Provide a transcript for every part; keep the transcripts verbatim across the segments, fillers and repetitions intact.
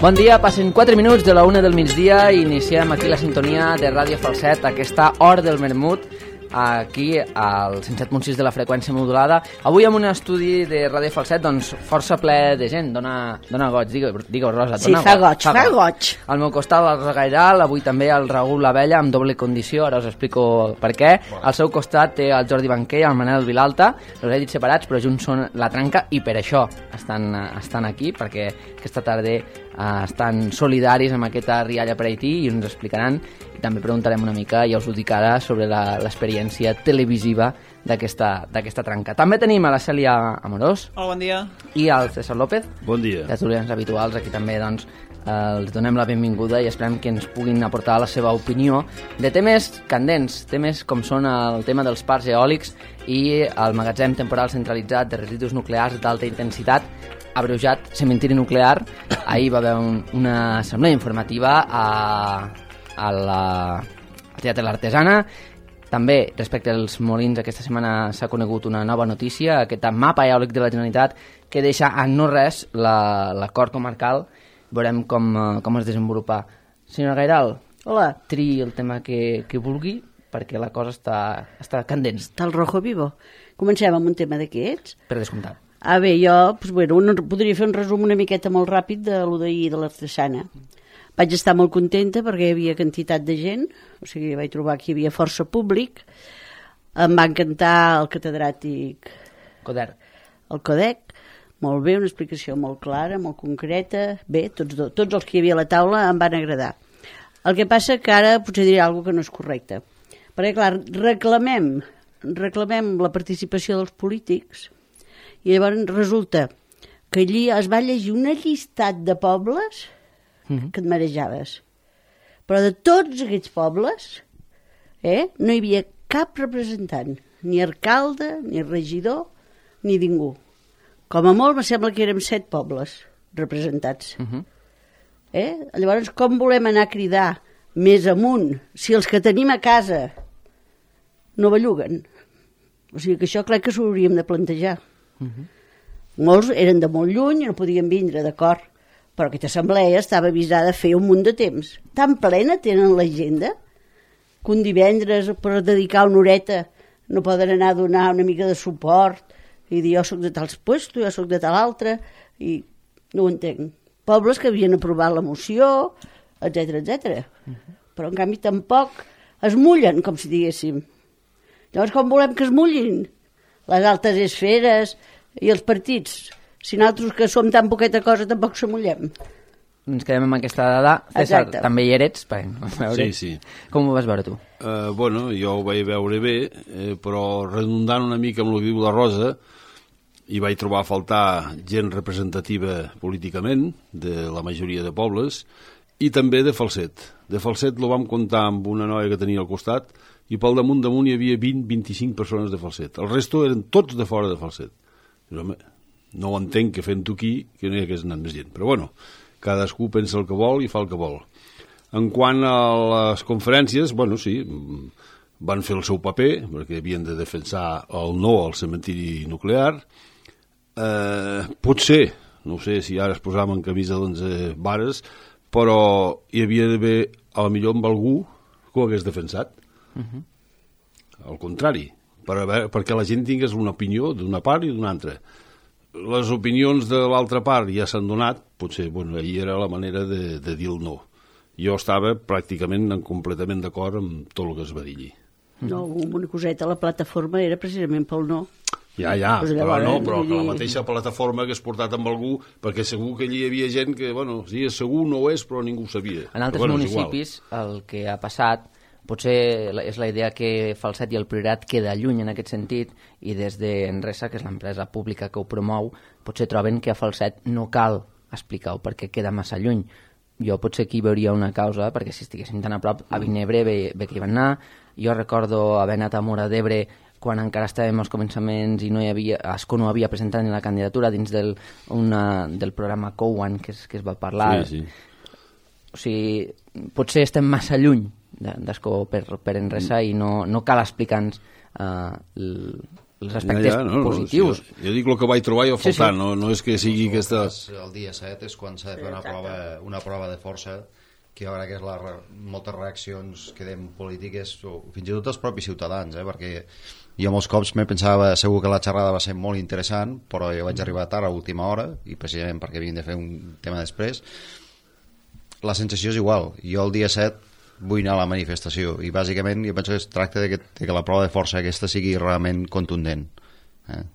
Bon dia, passen quatre minuts de la una del migdia i iniciem aquí la sintonia de Ràdio Falset, aquesta hora del vermut, aquí al cent set punt sis de la freqüència modulada. Avui amb un estudi de Ràdio Falset, doncs força ple de gent. Dona, dona goig, digue-ho, digue Rosa. Sí, fa goig, fa goig. Al meu costat el Rosa Gairal, avui també el Raül Labella amb doble condició, ara us explico per què. Al seu costat té el Jordi Banquer i el Manel Vilalta, els he dit separats però junts són la tranca i per això estan, estan aquí, perquè aquesta tarda uh, estan solidaris amb aquesta rialla per Haití i ens explicaran. També preguntarem una mica, ja us ho dic ara, sobre l'experiència televisiva d'aquesta tranca. També tenim a la Cèlia Amorós. Hola, bon dia. I al César López. Bon dia. Els tertulians habituals, aquí també doncs, eh, els donem la benvinguda i esperem que ens puguin aportar la seva opinió de temes candents, temes com són el tema dels parcs eòlics i el magatzem temporal centralitzat de residus nuclears d'alta intensitat, abreujat cementiri nuclear. Ahir va haver un, una assemblea informativa a... al Teatre l'Artesana. També, respecte als molins, aquesta setmana s'ha conegut una nova notícia, aquest mapa eòlic de la Generalitat que deixa a no res l'acord comarcal. Veurem com, com es desenvolupa. Senyora Gairal, hola, triï el tema que, que vulgui, perquè la cosa està, està candent. Està el rojo vivo. Comencem amb un tema d'aquests? Per descomptat. Ah, bé, jo pues, bueno, un, podria fer un resum una miqueta molt ràpid de lo d'ahir de l'Artesana. Vaig estar molt contenta perquè hi havia quantitat de gent, o sigui, vaig trobar que hi havia força públic. Em va encantar el catedràtic Coder. El Codec, molt bé, una explicació molt clara, molt concreta. Bé, tots, do, tots els que hi havia a la taula em van agradar. El que passa que ara potser diré alguna cosa que no és correcte. Perquè, clar, reclamem, reclamem la participació dels polítics i llavors resulta que allí es va llegir una llistat de pobles que et marejaves. Però de tots aquests pobles eh, no hi havia cap representant, ni alcalde, ni regidor, ni ningú. Com a molt, me sembla que érem set pobles representats. Uh-huh. eh? Llavors, com volem anar a cridar més amunt si els que tenim a casa no belluguen? O sigui que això crec que s'ho hauríem de plantejar. Uh-huh. Molts eren de molt lluny i no podien vindre, d'acord, però aquesta assemblea estava avisada a fer un munt de temps. Tan plena tenen l'agenda que un divendres per dedicar una horeta no poden anar a donar una mica de suport i dir jo soc de tals puestos, jo soc de tal altre, i no ho entenc. Pobles que havien aprovat la moció, etcètera, etcètera. Uh-huh. Però en canvi tampoc es mullen, com si diguéssim. Llavors com volem que es mullin? Les altes esferes i els partits. Si nosaltres que som tan poqueta cosa tampoc se mullem. Ens quedem amb aquesta dada. César, exacte. També hi eres? Veure. Sí, sí. Com ho vas veure tu? Uh, bueno, jo ho vaig veure bé, eh, però redundant una mica amb el que diu la Rosa, hi vaig trobar a faltar gent representativa políticament de la majoria de pobles i també de Falset. De Falset lo vam comptar amb una noia que tenia al costat i pel damunt damunt hi havia vint a vint-i-cinc persones de Falset. El resto eren tots de fora de Falset. Però, home, no ho entenc que fent-ho aquí que no hi hagués anat més gent, però bueno, cadascú pensa el que vol i fa el que vol. En quant a les conferències, bueno, sí, van fer el seu paper perquè havien de defensar el no al cementiri nuclear. Eh, potser, no sé si ara es posaven en camisa d'onze vares, però hi havia d'haver a la millor amb algú que ho hagués defensat. Uh-huh. Al contrari, per haver, perquè la gent tingués una opinió d'una part i d'una altra. Les opinions de l'altra part ja s'han donat, potser, bueno, ahir era la manera de, de dir el no. Jo estava pràcticament completament d'acord amb tot el que es va dir allí. No, una coseta, la plataforma era precisament pel no. Ja, ja, pues però no, però dir... que la mateixa plataforma hagués portat amb algú, perquè segur que allí hi havia gent que, bueno, sí, segur no ho és, però ningú ho sabia. En altres però, bueno, municipis el que ha passat potser és la idea que Falset i el Priorat queda lluny en aquest sentit i des d'Enresa, que és l'empresa pública que ho promou, potser troben que a Falset no cal explicar-ho perquè queda massa lluny. Jo potser aquí veuria una causa, perquè si estiguéssim tan a prop, a Vinebre bé, bé que hi van anar. Jo recordo haver anat a Móra d'Ebre quan encara estàvem als començaments i no hi havia, Ascó no havia presentat ni la candidatura dins del, una, del programa Cowan que es, que es va parlar. Sí, sí. O sigui, potser estem massa lluny d'Ascó per, per Enresa i no, no cal explicar-nos uh, els aspectes ja, ja, no, positius. No, jo, jo dic el que vaig trobar i ho Sí, faltant, sí. no, no és que sigui aquesta... El dia set és quan s'ha de fer una prova, una prova de força, que jo crec que és la, moltes reaccions que dem polítiques, o fins i tot els propis ciutadans, eh, perquè jo molts cops me pensava segur que la xerrada va ser molt interessant, però jo vaig arribar tard a última hora, i precisament perquè havien de fer un tema després. La sensació és igual. Jo el dia set vull anar a la manifestació, i bàsicament jo penso que es tracta de que, de que la prova de força aquesta sigui realment contundent. Eh?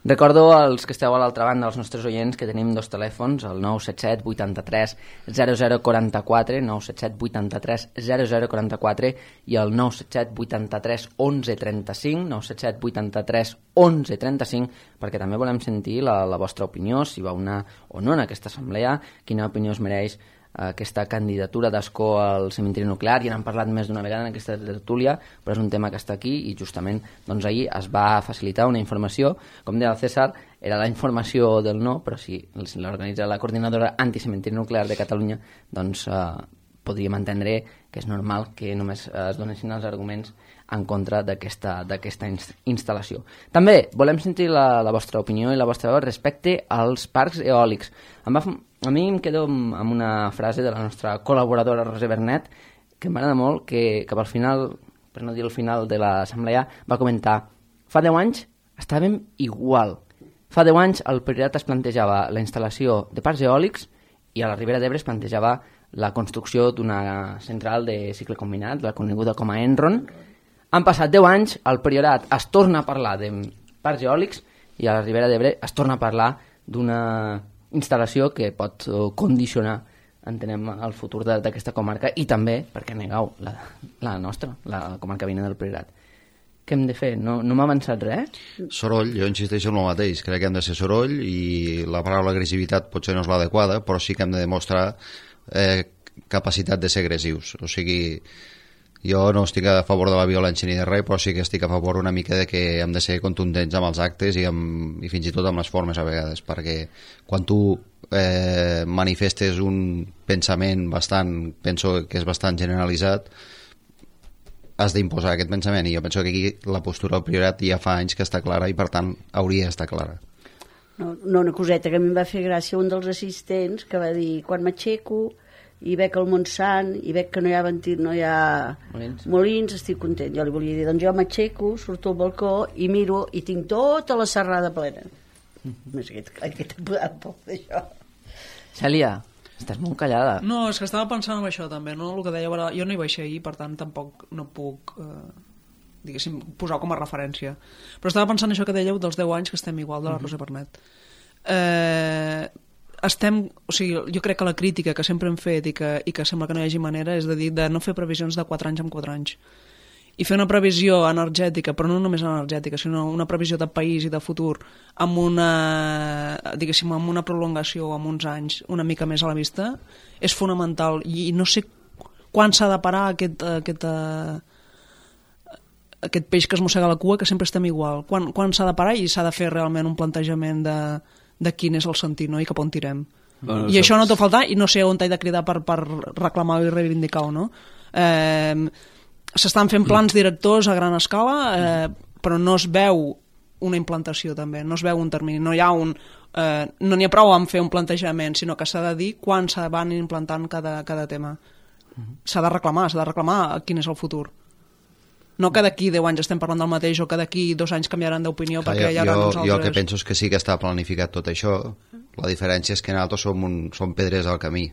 Recordo als que esteu a l'altra banda, als nostres oients, que tenim dos telèfons, el nou set set vuitanta-tres zero zero quaranta-quatre, nou set set vuitanta-tres zero zero quaranta-quatre i el nou set set vuitanta-tres onze trenta-cinc, nou set set vuitanta-tres onze trenta-cinc, perquè també volem sentir la, la vostra opinió, si va una o no en aquesta assemblea, quina opinió es mereix aquesta candidatura d'Ascó al cementiri nuclear. Ja n'han parlat més d'una vegada en aquesta tertúlia, però és un tema que està aquí i justament doncs, ahir es va facilitar una informació, com deia el César, era la informació del no, però si l'organitza la coordinadora anticementiri nuclear de Catalunya, doncs eh, podríem entendre que és normal que només es donessin els arguments en contra d'aquesta d'aquesta instal·lació. També volem sentir la, la vostra opinió i la vostra veu respecte als parcs eòlics. Em va, a mi em quedo amb una frase de la nostra col·laboradora Roser Bernet que m'agrada molt, que cap al final, per no dir el final de l'assemblea, va comentar: fa deu anys estàvem igual. Fa deu anys el Priorat es plantejava la instal·lació de parcs eòlics i a la Ribera d'Ebre es plantejava la construcció d'una central de cicle combinat, la coneguda com a Enron. Han passat deu anys, al Priorat es torna a parlar de parcs eòlics i a la Ribera d'Ebre es torna a parlar d'una instal·lació que pot condicionar, entenem, el futur d'aquesta comarca i també, per què negueu, la, la nostra, la comarca veïna del Priorat. Què hem de fer? No, no m'ha avançat res? Soroll, jo insisteixo en el mateix. Crec que hem de ser soroll i la paraula agressivitat potser no és l'adequada, però sí que hem de demostrar eh, capacitat de ser agressius. O sigui, jo no estic a favor de la violència ni de res, però sí que estic a favor una mica de que hem de ser contundents amb els actes i, amb, i fins i tot amb les formes a vegades, perquè quan tu eh, manifestes un pensament bastant, penso que és bastant generalitzat, has d'imposar aquest pensament, i jo penso que aquí la postura del Priorat ja fa anys que està clara i per tant hauria d'estar clara. No, no, una coseta que a mi em va fer gràcia, un dels assistents que va dir: quan m'aixeco i veig el Montsant i veig que no hi ha ventit, no hi ha molins. molins, estic content. Jo li volia dir, doncs jo m'aixeco, surto al balcó i miro i tinc tota la serrada plena. Mm-hmm. Aquest, aquest ha podat por d'això. Cèlia, estàs molt callada. No, és que estava pensant en això també, no? El que deia, jo no hi vaig ser ahir, per tant tampoc no puc eh, diguéssim, posar com a referència, però estava pensant això que dèieu dels deu anys que estem igual, de la Roser Bernet. eh, estem, o sigui, jo crec que la crítica que sempre hem fet i que, i que sembla que no hi hagi manera és de dir de no fer previsions de quatre anys en quatre anys i fer una previsió energètica, però no només energètica, sinó una previsió de país i de futur amb una, diguéssim, amb una prolongació, amb uns anys una mica més a la vista, és fonamental. I no sé quan s'ha de parar aquest, aquest, aquest peix que es mossega la cua, que sempre estem igual. Quan, quan s'ha de parar i s'ha de fer realment un plantejament de, de quin és el sentit, no? I cap on tirem. Bueno, I això no t'ho faltar, i no sé on t'he de cridar per, per reclamar i reivindicar-ho, no? Eh... S'estan fent plans directors a gran escala, eh, però no es veu una implantació també, no es veu un termini, no hi ha un, eh, no n'hi ha prou en fer un plantejament, sinó que s'ha de dir quan se van implantant cada, cada tema. S'ha de reclamar, s'ha de reclamar quin és el futur. No que d'aquí deu anys estem parlant del mateix o que d'aquí dos anys canviaran d'opinió perquè hi haurà uns altres. Jo el que penso és que sí que està planificat tot això, la diferència és que nosaltres som, un, som pedres al camí.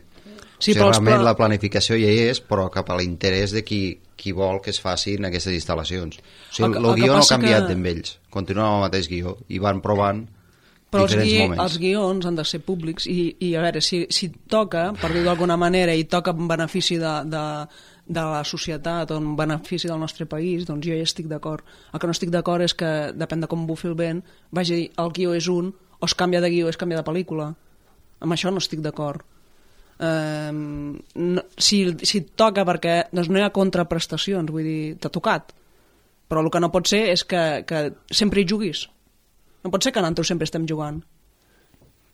Sí, o sigui, realment però... la planificació ja hi és, però cap a l'interès de qui, qui vol que es facin aquestes instal·lacions. O sigui, el, el, el guió no ha canviat que... amb ells, continuen amb el mateix guió i van provant però diferents els gui... moments. Els guions han de ser públics i, i a veure, si, si toca, per dir-ho d'alguna manera, i toca en benefici de, de, de la societat o en benefici del nostre país, doncs jo ja estic d'acord. El que no estic d'acord és que, depèn de com bufi el vent, vagi a dir, el guió és un, o es canvia de guió o es canvia de pel·lícula. Amb això no estic d'acord. Uh, no, si, si toca perquè doncs no hi ha contraprestacions, vull dir, t'ha tocat, però el que no pot ser és que, que sempre hi juguis. No pot ser que nosaltres sempre estem jugant,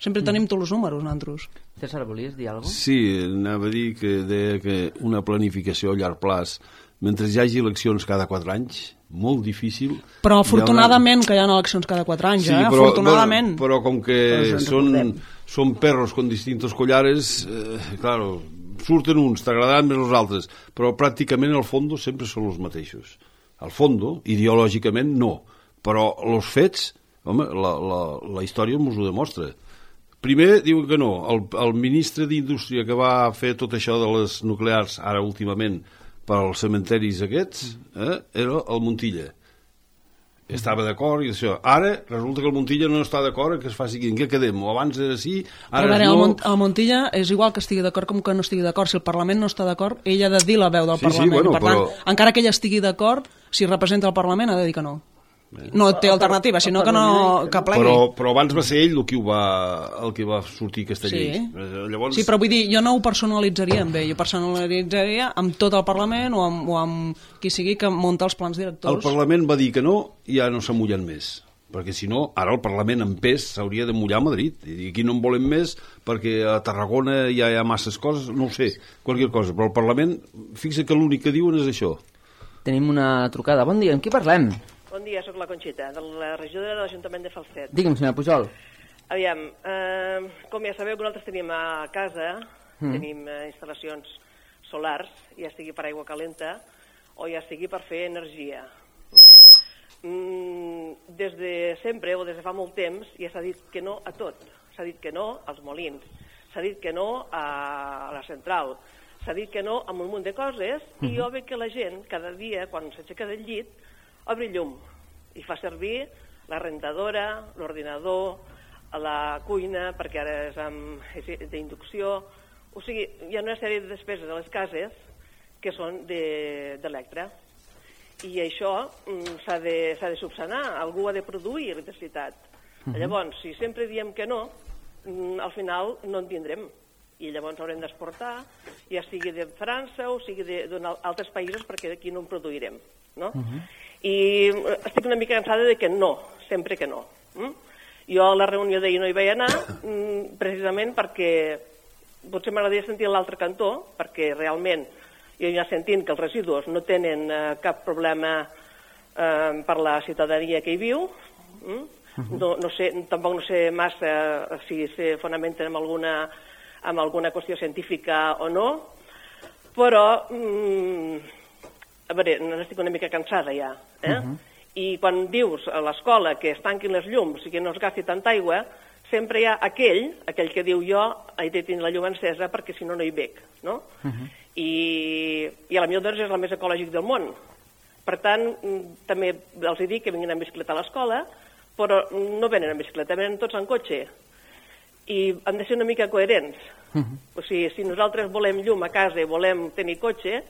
sempre mm. tenim tots els números nosaltres. César, volies dir alguna cosa? Sí, anava a dir que deia que una planificació a llarg plaç mentre hi hagi eleccions cada quatre anys, molt difícil... Però afortunadament hi haurà... que hi ha eleccions cada quatre anys, sí, eh? Però, afortunadament. Però, però com que són, són perros con distintos collares, eh, claro, surten uns, t'agradaran més els altres, però pràcticament al fons sempre són els mateixos. Al fons, ideològicament, no. Però els fets, home, la, la, la història ens ho demostra. Primer diuen que no. El, el ministre d'Indústria que va fer tot això de les nuclears, ara últimament, per als cementeris aquests, eh, era el Montilla. Estava d'acord i això. Ara resulta que el Montilla no està d'acord que es faci aquí. En què quedem? O abans era així, ara veure, no... El, Mont el Montilla és igual que estigui d'acord com que no estigui d'acord. Si el Parlament no està d'acord, ell ha de dir la veu del sí, Parlament. Sí, bueno, per tant, però... encara que ell estigui d'acord, si representa el Parlament ha de dir que no. No té alternativa, sinó que no que plegui. Però, però abans va ser ell el que, ho va, el que va sortir aquesta sí. llei. Llavors... Sí, però vull dir, jo no ho personalitzaria amb ell, jo personalitzaria amb tot el Parlament o amb, o amb qui sigui que munta els plans directors. El Parlament va dir que no i ja no se mullen més. Perquè si no, ara el Parlament en pes s'hauria de mullar a Madrid. I aquí no en volem més perquè a Tarragona ja hi ha masses coses, no ho sé, qualsevol cosa. Però el Parlament, fixa que l'únic que diuen és això. Tenim una trucada. Bon dia, amb qui parlem? Bon dia, sóc la Conxita, de la regidora de l'Ajuntament de Falset. Digue'm, senyora Pujol. Aviam, eh, com ja sabeu que nosaltres tenim a casa, mm. tenim eh, instal·lacions solars, ja sigui per aigua calenta o ja sigui per fer energia. Mm, des de sempre o des de fa molt temps ja s'ha dit que no a tot. S'ha dit que no als molins, s'ha dit que no a la central, s'ha dit que no a un munt de coses mm. i jo veig que la gent cada dia, quan s'aixeca del llit, obre llum i fa servir la rentadora, l'ordinador, la cuina, perquè ara és, amb, és d'inducció. O sigui, hi ha una sèrie de despeses a les cases que són d'Electra. I això mm, s'ha de, s'ha de subsanar, algú ha de produir electricitat. Uh-huh. Llavors, si sempre diem que no, mm, al final no en tindrem. I llavors haurem d'exportar, ja sigui de França o sigui d'altres països, perquè aquí no en produirem. No? Uh-huh. I estic una mica cansada de que no, sempre que no. Mm? Jo a la reunió d'ahir no hi vaig anar, mm, precisament perquè potser m'agradaria sentir l'altre cantó, perquè realment jo ja sentint que els residus no tenen eh, cap problema eh, per la ciutadania que hi viu. Mm? Uh-huh. no, no sé, tampoc no sé massa eh, si se fonamenten en alguna, en alguna qüestió científica o no, però... Mm, a veure, n'estic una mica cansada ja, eh? Uh-huh. I quan dius a l'escola que es tanquin les llums i que no es gasti tanta aigua, sempre hi ha aquell, aquell que diu jo he de tenir la llum encesa perquè si no no hi veig, no? Uh-huh. I, i a la millor doncs és el més ecològic del món. Per tant, també els dic que vinguin en bicicleta a l'escola, però no venen en bicicleta, venen tots en cotxe. I han de ser una mica coherents. Uh-huh. O sigui, si nosaltres volem llum a casa i volem tenir cotxe,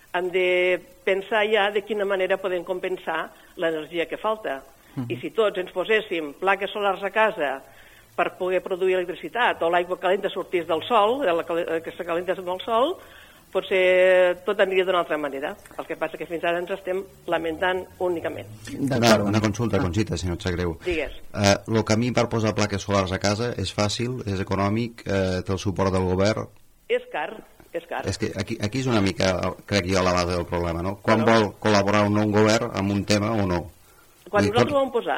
hem de pensar ja de quina manera podem compensar l'energia que falta. Uh-huh. I si tots ens poséssim plaques solars a casa per poder produir electricitat, o l'aigua calenta sortís del sol, que se calenta del sol, potser tot aniria d'una altra manera. El que passa que fins ara ens estem lamentant únicament. Una, una consulta, Conxita, si no et sap greu. Digues. Eh, el camí per posar plaques solars a casa és fàcil, és econòmic, eh, té el suport del govern? És car. És car. És que aquí, aquí és una mica, crec jo, la base del problema, no? Quan bueno. vol col·laborar un nou govern amb un tema o no? Quan dir, nosaltres tot... ho vam posar,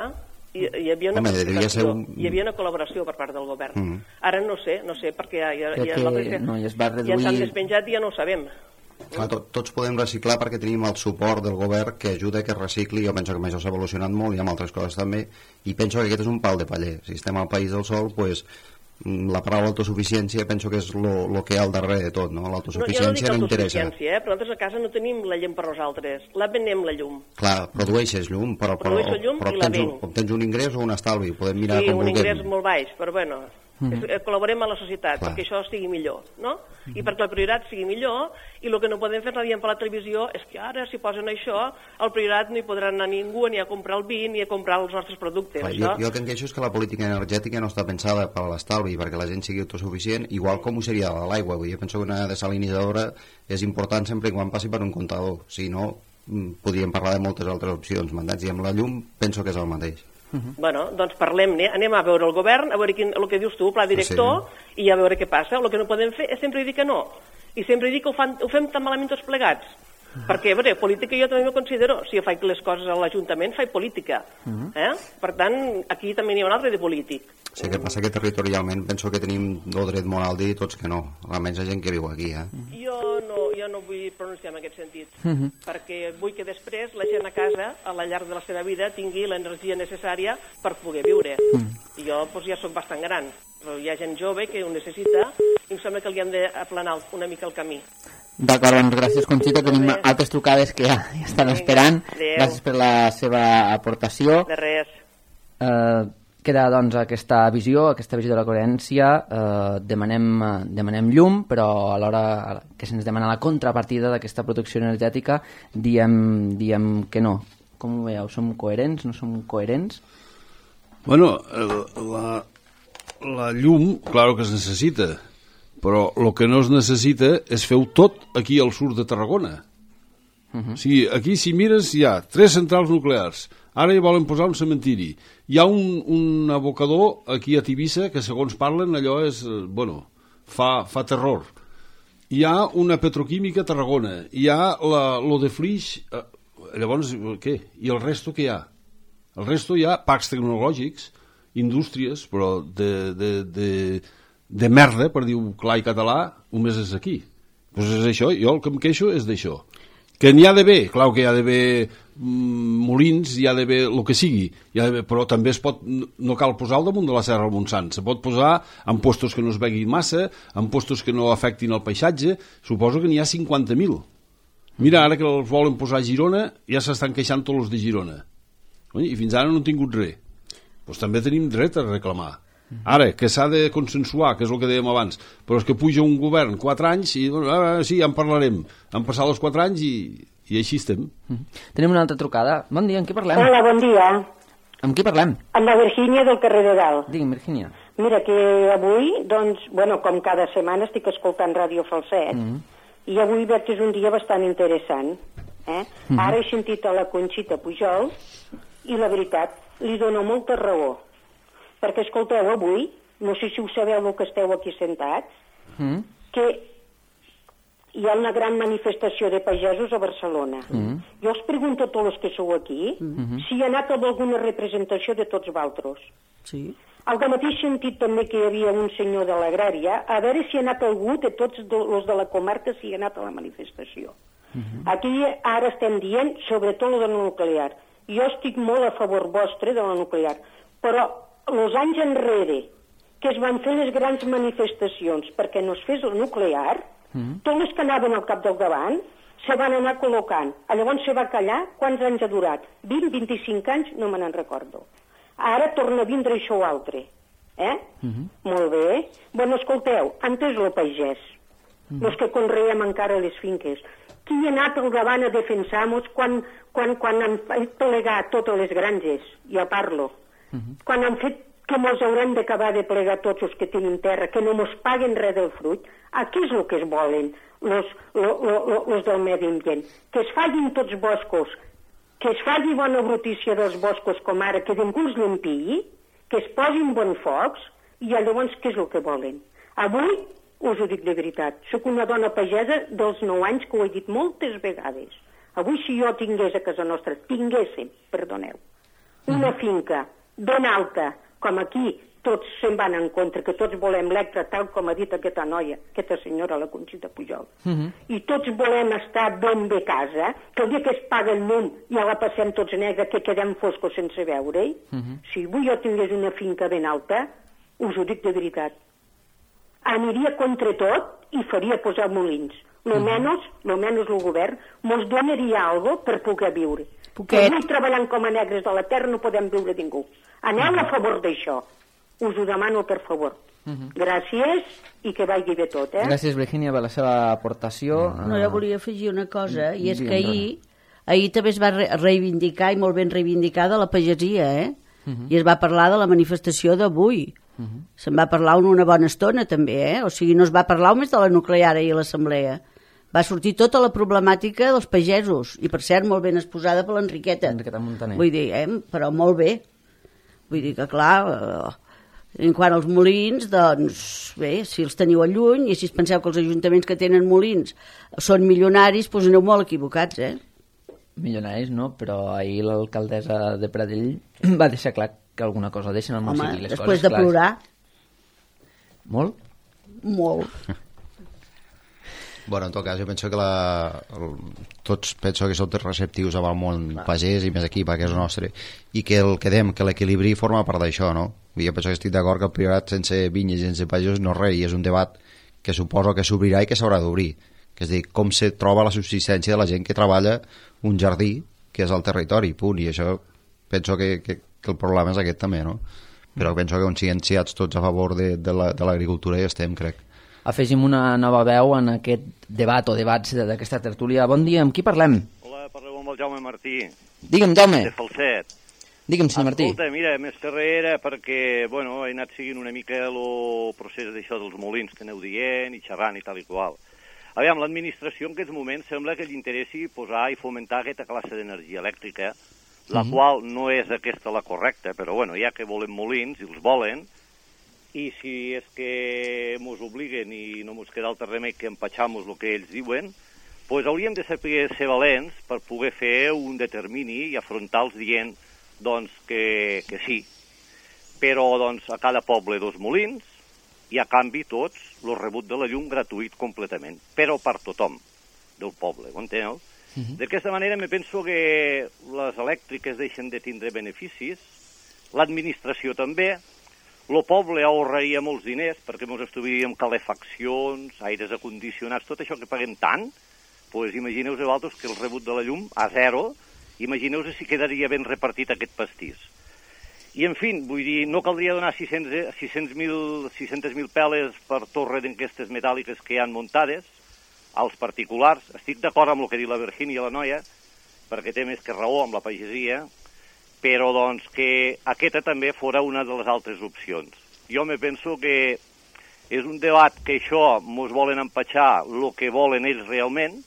hi, hi, havia una Home, ser un... hi havia una col·laboració per part del govern. Mm -hmm. Ara no sé, no sé, perquè ja, ja, ja, que, no, ja es va reduir... ja s'han despenjat i ja no ho sabem. Clar, to, tots podem reciclar perquè tenim el suport del govern que ajuda que recicli. Jo penso que això s'ha evolucionat molt i amb altres coses també, i penso que aquest és un pal de paller. Si estem al País del Sol, pues, la paraula autosuficiència penso que és el que hi ha al darrere de tot, no? L'autosuficiència no, no interessa. Eh? Però nosaltres a casa no tenim la llum per nosaltres, la venem la llum. Clar, produeixes llum, però, però, Produeixo llum però i la obtens, un, obtens un ingrés o un estalvi, podem mirar sí, com un vulguem. ingrés molt baix, però bueno, mm-hmm. col·laborem a la societat Clar. perquè això sigui millor, no? Mm-hmm. I perquè la prioritat sigui millor, i el que no podem fer, no diem per la televisió, és que ara si posen això, al priorat no hi podrà anar ningú ni a comprar el vi ni a comprar els nostres productes. Clar, això... jo, jo el que em queixo és que la política energètica no està pensada per a l'estalvi, perquè la gent sigui autosuficient, igual com ho seria l'aigua. Jo penso que una desalinitzadora és important sempre quan passi per un comptador, si no podríem parlar de moltes altres opcions, mandats, i amb la llum penso que és el mateix. Uh-huh. Bueno, doncs parlem-ne, anem a veure el govern, a veure quin, el que dius tu, pla director, sí. i a veure què passa. El que no podem fer és sempre dir que no, i sempre dir que ho, fan, ho fem tan malament tots plegats. Perquè, bé, política jo també me considero, si jo faig les coses a l'Ajuntament, faig política. Eh? Per tant, aquí també n'hi ha un altre de polític. Sí, que passa que territorialment penso que tenim el dret moral de dir tots que no, almenys la gent que viu aquí. Eh? Jo no, jo no vull pronunciar en aquest sentit, perquè vull que després la gent a casa, a la llarg de la seva vida, tingui l'energia necessària per poder viure. I jo doncs, ja soc bastant gran, però hi ha gent jove que ho necessita i em sembla que li han d'aplanar una mica el camí. D'acord, doncs gràcies Conxita, tenim altres trucades que ja, ja estan esperant. Adéu. Gràcies per la seva aportació. De res. Eh, queda doncs aquesta visió, aquesta visió de la coherència. Eh, demanem, demanem llum, però alhora que se'ns demana la contrapartida d'aquesta producció energètica diem, diem que no. Com ho veieu? Som coherents? No som coherents? Bueno, la, la llum, claro que es necessita, però el que no es necessita és fer-ho tot aquí al sud de Tarragona. Uh-huh. O sigui, aquí si mires hi ha tres centrals nuclears, ara hi volen posar un cementiri, hi ha un, un abocador aquí a Tivissa que segons parlen allò és, bueno, fa, fa terror. Hi ha una petroquímica a Tarragona, hi ha la, lo de Flix, eh, llavors què? I el resto què hi ha? El resto hi ha parcs tecnològics, indústries, però de... de, de de merda, per dir-ho clar i català, només és aquí. Doncs és això, jo el que em queixo és d'això. Que n'hi ha d'haver, clar que hi ha d'haver mm, molins, hi ha d'haver el que sigui, hi ha d'haver, però també es pot, no cal posar al damunt de la Serra del Montsant, se pot posar en postos que no es veguin massa, en postos que no afectin el paisatge, suposo que n'hi ha cinquanta mil. Mira, ara que els volen posar a Girona, ja s'estan queixant tots els de Girona. I fins ara no han tingut res. Doncs també tenim dret a reclamar. Ara, que s'ha de consensuar, que és el que dèiem abans, però és que puja un govern quatre anys i ah, sí, ja en parlarem. Han passat els quatre anys i, i així estem. Mm. Tenim una altra trucada. Bon dia, amb qui parlem? Hola, bon dia. Amb qui parlem? Amb la Virgínia del carrer de Dalt. Digui'm, Virgínia. Mira, que avui, doncs, bueno, com cada setmana estic escoltant Ràdio Falset, mm. i avui veig que és un dia bastant interessant. Eh? Mm. Ara he sentit a la Conxita Pujol i la veritat, li dono molta raó. Perquè, escolteu, avui, no sé si ho sabeu el que esteu aquí sentats, mm. que hi ha una gran manifestació de pagesos a Barcelona. Mm. Jo us pregunto a tots els que sou aquí mm. si hi ha anat amb alguna representació de tots vosaltres. Sí. Al mateix sentit també que hi havia un senyor de l'Agrària, a veure si ha anat algú de tots els de la comarca si hi ha anat a la manifestació. Mm. Aquí ara estem dient sobretot lo de la nuclear. Jo estic molt a favor vostre de la nuclear, però els anys enrere que es van fer les grans manifestacions perquè no es fes el nuclear, mm. tots els que anaven al cap del davant se van anar col·locant. Llavors se va callar. Quants anys ha durat? vint, vint-i-cinc anys? No me n'en recordo. Ara torna a vindre això o altre. Eh? Mm-hmm. Molt bé. Bueno, escolteu, antes el pagès, mm. els que conreem encara les finques. Qui ha anat al davant a defensar-nos quan, quan, quan han plegat totes les granges? Jo parlo. Uh-huh. Quan han fet que mos haurem d'acabar de plegar tots els que tenen terra, que no mos paguen res del fruit, a què és el que es volen los, lo, lo, lo, los del medi ambient? Que es fallin tots boscos, que es faci bona brutícia dels boscos com ara, que ningú els limpiï, que es posin bons focs, i llavors què és el que volen? Avui, us ho dic de veritat, sóc una dona pagesa dels nou anys que ho he dit moltes vegades. Avui si jo tingués a casa nostra, tinguéssim, perdoneu, una finca ben alta, com aquí tots se'n van en contra, que tots volem l'Electra, tal com ha dit aquesta noia, aquesta senyora, la Conxita Pujol. Uh-huh. I tots volem estar ben bé a casa, que el dia que es paga el llum ja la passem tots negra, que quedem foscos sense veure-hi. Uh-huh. Si avui jo tingués una finca ben alta, us ho dic de veritat, aniria contra tot i faria posar molins. Lo uh-huh. menos, lo menos el govern mos donaria algo per poder viure. Que avui treballant com a negres de la terra no podem viure ningú. Aneu a favor d'això. Us ho demano, per favor. Uh-huh. Gràcies i que vagi bé tot, eh? Gràcies, Virgínia, per la seva aportació. No, jo volia afegir una cosa, i és que ahir, ahir també es va reivindicar, i molt ben reivindicada, la pagesia, eh? Uh-huh. I es va parlar de la manifestació d'avui. Uh-huh. Se'n va parlar una bona estona, també, eh? O sigui, no es va parlar només de la nuclear i l'assemblea. Va sortir tota la problemàtica dels pagesos, i per cert molt ben exposada per l'Enriqueta. Enriqueta Montaner. Vull dir, eh? Però molt bé. Vull dir que, clar, eh, En quant als molins, doncs, bé, si els teniu a lluny i si es penseu que els ajuntaments que tenen molins són milionaris, doncs aneu molt equivocats, eh? Milionaris, no, però ahir l'alcaldessa de Pradell va deixar clar que alguna cosa deixen al municipi. Home, les després coses de clares. plorar... Molt? Molt. Bueno, en tot cas, jo penso que la, el, tots penso que som receptius amb el món pagès i més aquí, perquè és el nostre, i que el que dèiem, que l'equilibri forma part d'això, no? Jo penso que estic d'acord que el priorat sense vinyes i sense pagesos no és res, i és un debat que suposo que s'obrirà i que s'haurà d'obrir, que és dir, com se troba la subsistència de la gent que treballa un jardí, que és al territori, punt, i això penso que, que, que el problema és aquest també, no? Però penso que conscienciats tots a favor de, de l'agricultura la, ja estem, crec. Afegim una nova veu en aquest debat o debats d'aquesta tertúlia. Bon dia, amb qui parlem? Hola, parleu amb el Jaume Martí. Digue'm, Jaume. De Falset. Digue'm, senyor Martí. Escolta, mira, més que res era perquè, bueno, he anat seguint una mica el procés d'això dels molins que aneu dient i xerrant i tal i qual. Aviam, l'administració en aquests moments sembla que li interessi posar i fomentar aquesta classe d'energia elèctrica, la mm-hmm. qual no és aquesta la correcta, però bueno, ja que volen molins i els volen, i si és que mos obliguen i no mos queda altre remei que empatxar-nos el que ells diuen, doncs hauríem de saber ser valents per poder fer un determini i afrontar-los dient doncs, que, que sí. Però doncs, a cada poble dos molins i a canvi tots el rebut de la llum gratuït completament, però per tothom del poble, ho enteneu? Uh-huh. D'aquesta manera me penso que les elèctriques deixen de tindre beneficis, l'administració també, el poble ahorraria molts diners perquè ens estudiaríem calefaccions, aires acondicionats, tot això que paguem tant, doncs imagineu-vos vosaltres que el rebut de la llum a zero, imagineu-vos si quedaria ben repartit aquest pastís. I, en fi, vull dir, no caldria donar sis cents mil peles per torre d'enquestes metàl·liques que hi han muntades als particulars. Estic d'acord amb el que diu la Virgínia, la noia, perquè té més que raó amb la pagesia, però doncs que aquesta també fora una de les altres opcions. Jo me penso que és un debat que això mos volen empatxar el que volen ells realment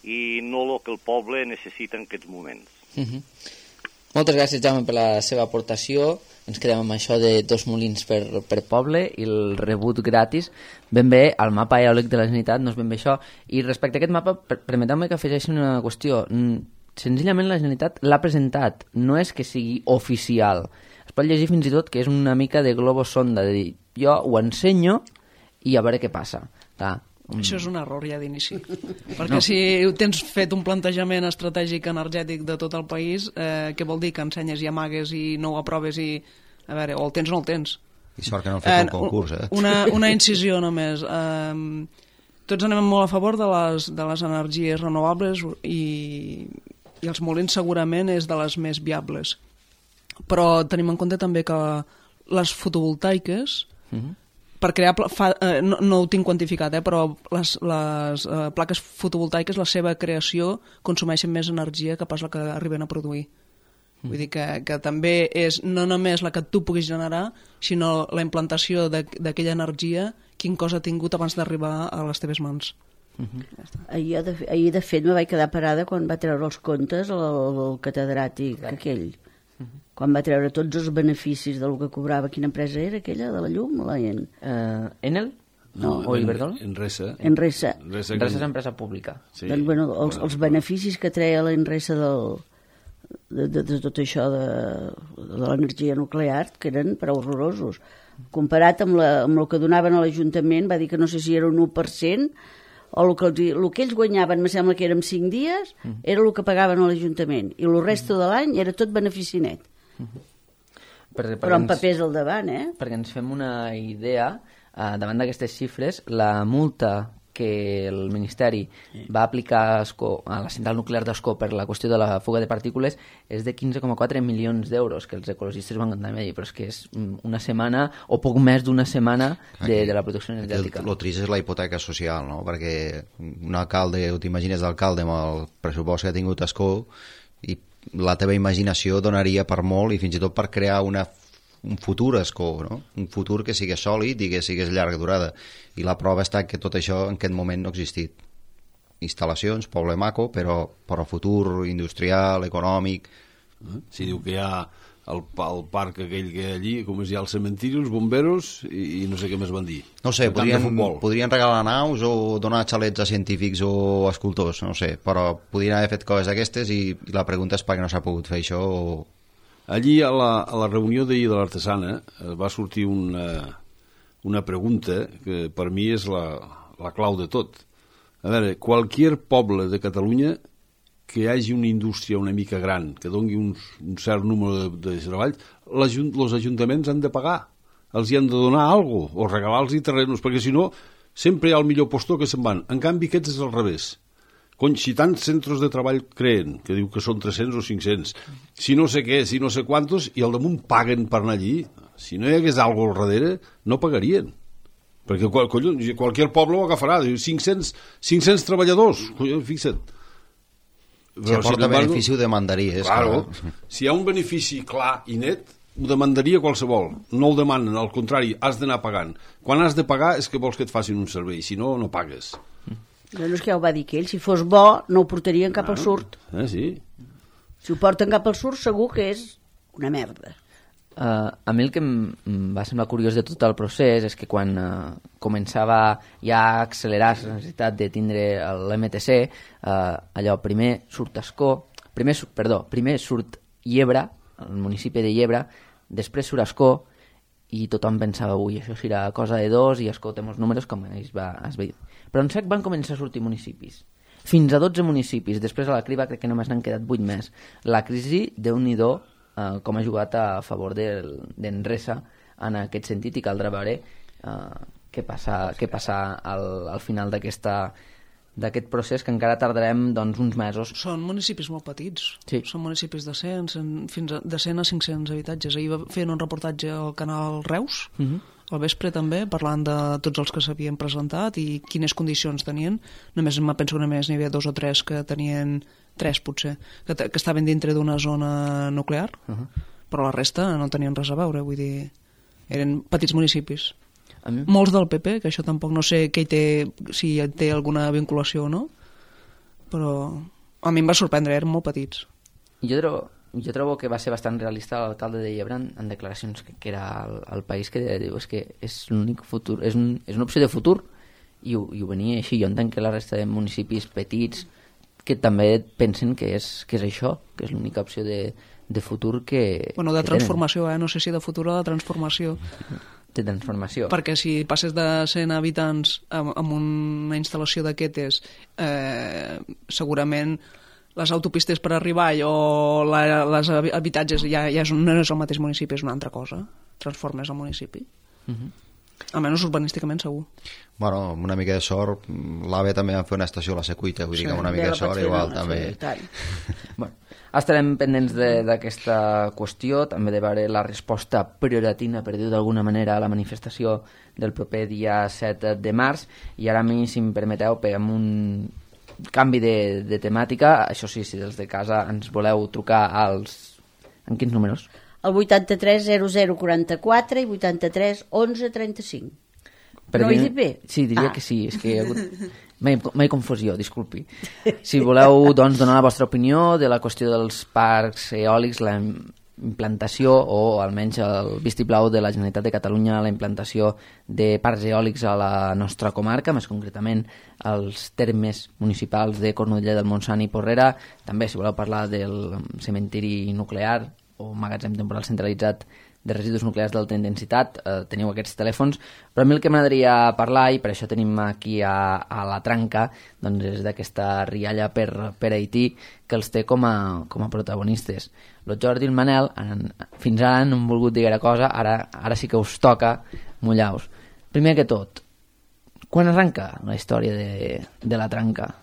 i no el que el poble necessita en aquests moments. Uh-huh. Moltes gràcies, Jaume, per la seva aportació. Ens quedem amb això de dos molins per, per poble i el rebut gratis. Ben bé, el mapa eòlic de la Generalitat no és ben bé això. I respecte a aquest mapa, permeteu-me que afegeixi una qüestió. Senzillament la Generalitat l'ha presentat, no és que sigui oficial. Es pot llegir fins i tot que és una mica de globus sonda, de dir, jo ho ensenyo i a veure què passa. Clar. Això és un error ja d'inici, perquè no. Si tens fet un plantejament estratègic energètic de tot el país, eh, què vol dir? Que ensenyes i amagues i no ho aproves i... A veure, o el tens o no el tens. I sort que no han fet eh, un concurs, eh? Una, una incisió només. Eh, tots anem molt a favor de les, de les energies renovables i... i els molins segurament és de les més viables. Però tenim en compte també que les fotovoltaiques, uh-huh. per crear... Fa, eh, no, no ho tinc quantificat, eh, però les, les eh, plaques fotovoltaiques, la seva creació, consumeixen més energia que pas la que arriben a produir. Uh-huh. Vull dir que, que també és no només la que tu puguis generar, sinó la implantació d'aquella energia, quin cos ha tingut abans d'arribar a les teves mans. Uh-huh. ahir, de, ahir de fet me vaig quedar parada quan va treure els comptes el, el catedràtic Clar. aquell uh-huh. quan va treure tots els beneficis del que cobrava. Quina empresa era aquella de la llum? La en... uh, Enel? No, o Iberdrola? Enresa. Enresa. Enresa, Enresa és empresa pública. Sí. Doncs, bueno, els, els beneficis que treia l'Enresa del, de, de, de tot això de, de l'energia nuclear, que eren prou horrorosos. Comparat amb, la, amb el que donaven a l'Ajuntament, va dir que no sé si era un u per cent, o el que, els, el que ells guanyaven, me sembla que eren cinc dies, mm. era el que pagaven a l'Ajuntament, i el resto de l'any era tot benefici net. Mm. Per, per Però amb ens, papers al davant, eh? Perquè ens fem una idea, eh, davant d'aquestes xifres, la multa que el Ministeri va aplicar a, Ascó, a la central nuclear d'Ascó per la qüestió de la fuga de partícules és de quinze coma quatre milions d'euros, que els ecologistes van també dir, però és que és una setmana o poc més d'una setmana de, de la protecció energètica. El, el trist és la hipoteca social, no? Perquè un alcalde, o t'imagines d'alcalde amb el pressupost que ha tingut Ascó, i la teva imaginació donaria per molt i fins i tot per crear una un futur Ascó, no? Un futur que sigués sòlid i que sigués llarga durada. I la prova està que tot això en aquest moment no ha existit. Instal·lacions, poble maco, però, però futur industrial, econòmic... Si diu que hi ha el, el parc aquell que hi ha allí, com es hi ha el cementiri, els bomberos i, i no sé què més van dir. No sé, podrien, podrien regalar naus o donar xalets a científics o escultors, no sé, però podrien haver fet coses d'aquestes i, i la pregunta és per què no s'ha pogut fer això o... Allí, a la, a la reunió d'ahir de l'Artesana, va sortir una, una pregunta que per mi és la, la clau de tot. A veure, qualsevol poble de Catalunya que hi hagi una indústria una mica gran, que doni un, un cert número de, de treball, els ajuntaments han de pagar, els hi han de donar alguna cosa, o regalar-los terrenos, perquè si no, sempre hi ha el millor postor que se'n van. En canvi, aquests és al revés. Cony, si tants centres de treball creen, que diu que són tres-cents o cinc-cents, si no sé què, si no sé quantos, i al damunt paguen per anar allí, si no hi hagués alguna cosa al darrere, no pagarien. Perquè, collons, qualsevol poble ho agafarà, diu cinc-cents, cinc-cents treballadors, collons, fixa't. Si aporta benefici ho demandaria. Claro, que... si hi ha un benefici clar i net, ho demandaria qualsevol. No el demanen, al contrari, has d'anar pagant. Quan has de pagar és que vols que et facin un servei, si no, no pagues. No, no és que ja ho va dir que ell, si fos bo, no ho portarien cap ah, al surt. Eh, sí. Si ho porten cap al surt, segur que és una merda. Uh, a mi el que em va semblar curiós de tot el procés és que quan uh, començava ja a accelerar la necessitat de tindre l'M T C, uh, allò primer surt Ascó, primer, perdó, primer surt Llebre, el municipi de Llebre, després surt Ascó, i tothom pensava, ui, això serà cosa de dos, i Ascó té molts números, com es va, es va dir. Però en sec van començar a sortir municipis. Fins a dotze municipis, després a la criba crec que només n'han quedat vuit més. La crisi, Déu-n'hi-do, Uh, com ha jugat a favor d'Enresa en aquest sentit, i caldrà veure uh, què passa, què passa al, al final d'aquesta d'aquest procés, que encara tardarem doncs, uns mesos. Són municipis molt petits, sí. Són municipis de cent, fins a, de cent a cinc-cents habitatges. Ahir va fer un reportatge al canal Reus, uh -huh. al vespre també, parlant de tots els que s'havien presentat i quines condicions tenien. Només me penso que només n'hi havia dos o tres que tenien, tres potser, que, que estaven dintre d'una zona nuclear, uh -huh. però la resta no tenien res a veure, vull dir, eren petits municipis. A mi... Molts del P P, que això tampoc no sé què hi té, si té alguna vinculació o no, però a mi em va sorprendre, eren molt petits. Jo trobo, jo trobo que va ser bastant realista l'alcalde de Llebre en, en declaracions que, que era el, el país que diu és que és l'únic futur, és, un, és una opció de futur, i ho, i ho venia així. Jo entenc que la resta de municipis petits que també pensen que és, que és això, que és l'única opció de, de futur que... Bueno, de que transformació, tenen. eh? No sé si de futur o de transformació. De transformació. Perquè si passes de cent habitants amb, amb una instal·lació d'aquestes, eh, segurament les autopistes per arribar o la, les habitatges ja, ja és, no és el mateix municipi, és una altra cosa. Transformes el municipi. Uh -huh. Almenys urbanísticament segur. Bueno, amb una mica de sort, l'AVE també va fer una estació a la Secuita, vull sí, dir que amb una mica de sort igual també. Bueno, estarem pendents d'aquesta qüestió, també de veure la resposta prioratina, per dir-ho d'alguna manera, a la manifestació del proper dia set de març, i ara a mi, si em permeteu, peguem un canvi de, de temàtica. Això sí, si des de casa ens voleu trucar als... En quins números? El vuitanta-tres zero zero quaranta-quatre i vuitanta-tres onze trenta-cinc. Per no dir... ho he dit bé? Sí, diria ah. que sí, és que hi ha hagut... Mai confusió, disculpi. Si voleu doncs, donar la vostra opinió de la qüestió dels parcs eòlics, la implantació, o almenys el vistiplau de la Generalitat de Catalunya, la implantació de parcs eòlics a la nostra comarca, més concretament als termes municipals de Cornudella del Montsant i Porrera. També, si voleu parlar del cementiri nuclear o magatzem temporal centralitzat de residus nuclears d'alta intensitat, eh, teniu aquests telèfons, però a mi el que m'agradaria parlar, i per això tenim aquí a, a la Tranca, doncs és d'aquesta rialla per, per Haití, que els té com a, com a protagonistes. El Jordi i el Manel, en, fins ara no han volgut dir gaire cosa, ara, ara sí que us toca mullar-vos. Primer que tot, quan arranca la història de, de la Tranca?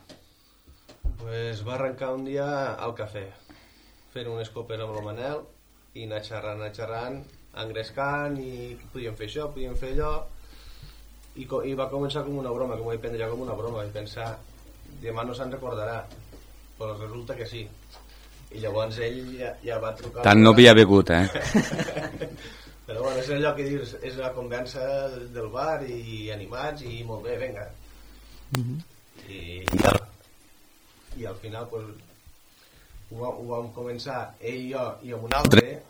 Pues va arrencar un dia al cafè, fent unes copes amb el Manel, i anar xerrant, anar xerrant, engrescant, i podíem fer això, podíem fer allò, i, i va començar com una broma, que m'ho vaig prendre ja com una broma, vaig pensar, demà no se'n recordarà, però resulta que sí. I llavors ell ja, ja va trucar... Tant no havia begut, eh? Però bueno, és allò que dius, és la conversa del bar, i animats, i molt bé, vinga. Mm-hmm. I, i, al, i al final, pues, ho, ho vam començar ell i jo i amb un altre,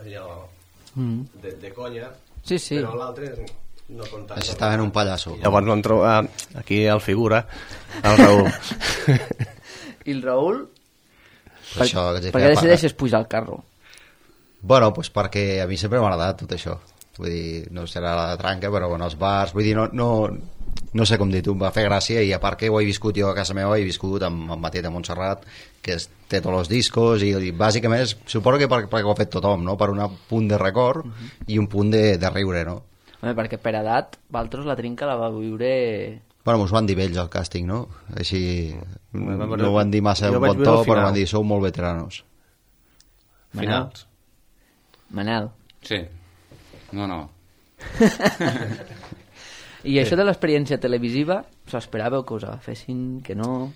allò Mm. de, de conya, Sí, sí. però l'altre no comptant. Això estava en un pallasso. Llavors vam trobar aquí el figura, el Raül. I el Raül? Per això, que Per què decideixes pujar al carro? Bueno, pues perquè a mi sempre m'ha agradat tot això. Vull dir, no serà la tranca, però bueno, els bars, vull dir, no, no, no sé com dir-ho, em va fer gràcia, i a part que ho he viscut jo a casa meva, he viscut amb, amb Matet de Montserrat, que es, té tots els discos, i, i bàsicament és, suposo que per, perquè ho ha fet tothom, no? Per un punt de record uh -huh. i un punt de, de riure, no? Home, perquè per edat, Valtros la trinca la va viure... Bueno, mos van dir vells al càsting, no? Així, Bueno, no però ho van dir massa jo un vaig bon veure to, al final. però van dir, sou molt veteranos. Finals. Manel. Sí. No, no. I això de l'experiència televisiva, us esperàveu que us agafessin, que no?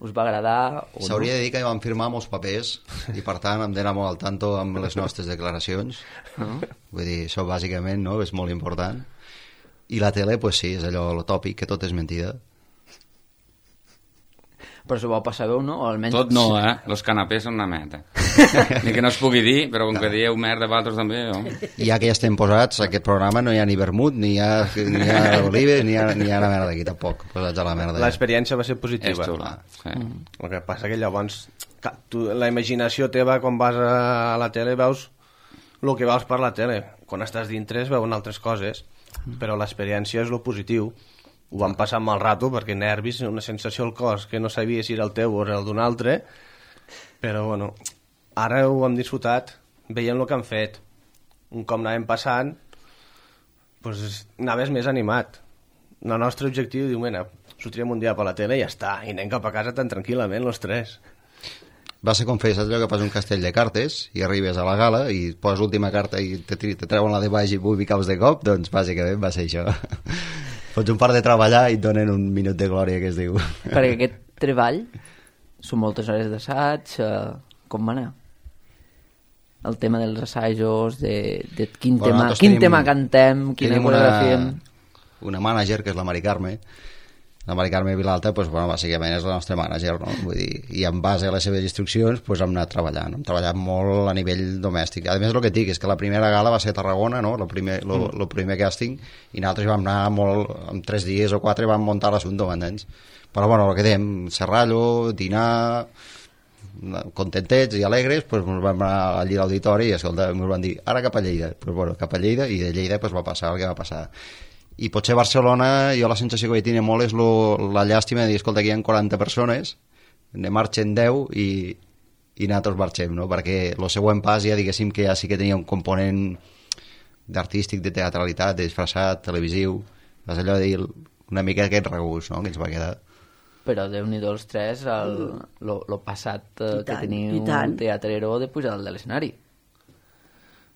Us va agradar o no? S'hauria de dir que vam firmar molts papers i per tant hem d'anar molt al tanto amb les nostres declaracions. Ah. Vull dir, això bàsicament, no?, és molt important. I la tele, pues sí, és allò lo tòpic, que tot és mentida. Però s'ho vau passar bé, no? O almenys... Tot no, eh? Los canapés són una meta. Ni que no es pugui dir, però com que dieu merda vosaltres també, jo... I ja que ja estem posats, a aquest programa no hi ha ni vermut, ni hi ha, ni hi ha olives, ni hi ha, ni hi ha la merda aquí, tampoc. Posats a la merda. L'experiència va ser positiva. És xula, sí. Mm. El que passa que llavors ca- tu, la imaginació teva quan vas a la tele veus el que veus per la tele. Quan estàs dintre es veuen altres coses, però l'experiència és lo positiu. Ho vam passar amb mal rato perquè nervis, una sensació al cos que no sabies si era el teu o era el d'un altre, però bueno, ara ho hem disfrutat veient el que han fet. Un cop anàvem passant, doncs anaves més animat. El nostre objectiu, diu, mena, sortirem un dia per la tele i ja està, i anem cap a casa tan tranquil·lament, els tres. Va ser com fer, saps allò que fas un castell de cartes i arribes a la gala i poses l'última carta i te, te treuen la de baix i vull caus de cop, doncs bàsicament va ser això. Fots un par de treballar i et donen un minut de glòria, que es diu. Perquè aquest treball són moltes hores d'assaig, eh, com va anar? El tema dels assajos, de, de quin, Bueno, tema, nosaltres quin tenim- tema cantem, quina tenim coreografia... una, una mànager, que és la Mari Carme. La Mari Carme Vilalta, pues, bueno, bàsicament és la nostra mànager, no? Vull dir, i en base a les seves instruccions pues, hem anat treballant. Hem treballat molt a nivell domèstic. A més, el que et dic és que la primera gala va ser a Tarragona, no? el, primer, lo, Mm. lo primer càsting, i nosaltres vam anar molt, en tres dies o quatre vam muntar l'assumpte, m'entens? Però bueno, el que dèiem, serrallo, dinar, contentets i alegres, pues, ens vam anar allí a l'auditori i escolta, ens van dir, ara cap a Lleida. Pues, bueno, cap a Lleida, i de Lleida pues, va passar el que va passar. I potser Barcelona, jo la sensació que vaig tenir molt és lo, la llàstima de dir, escolta, aquí hi ha quaranta persones, ne marxen deu i, i nosaltres marxem, no? Perquè el següent pas ja diguéssim que ja sí que tenia un component d'artístic, de teatralitat, de disfressat, televisiu, és allò de dir una mica aquest regust, no?, que ens va quedar. Però Déu-n'hi-do els tres, el, lo, lo passat eh, I que tant, teniu i tant. teatrero de pujar dalt de l'escenari.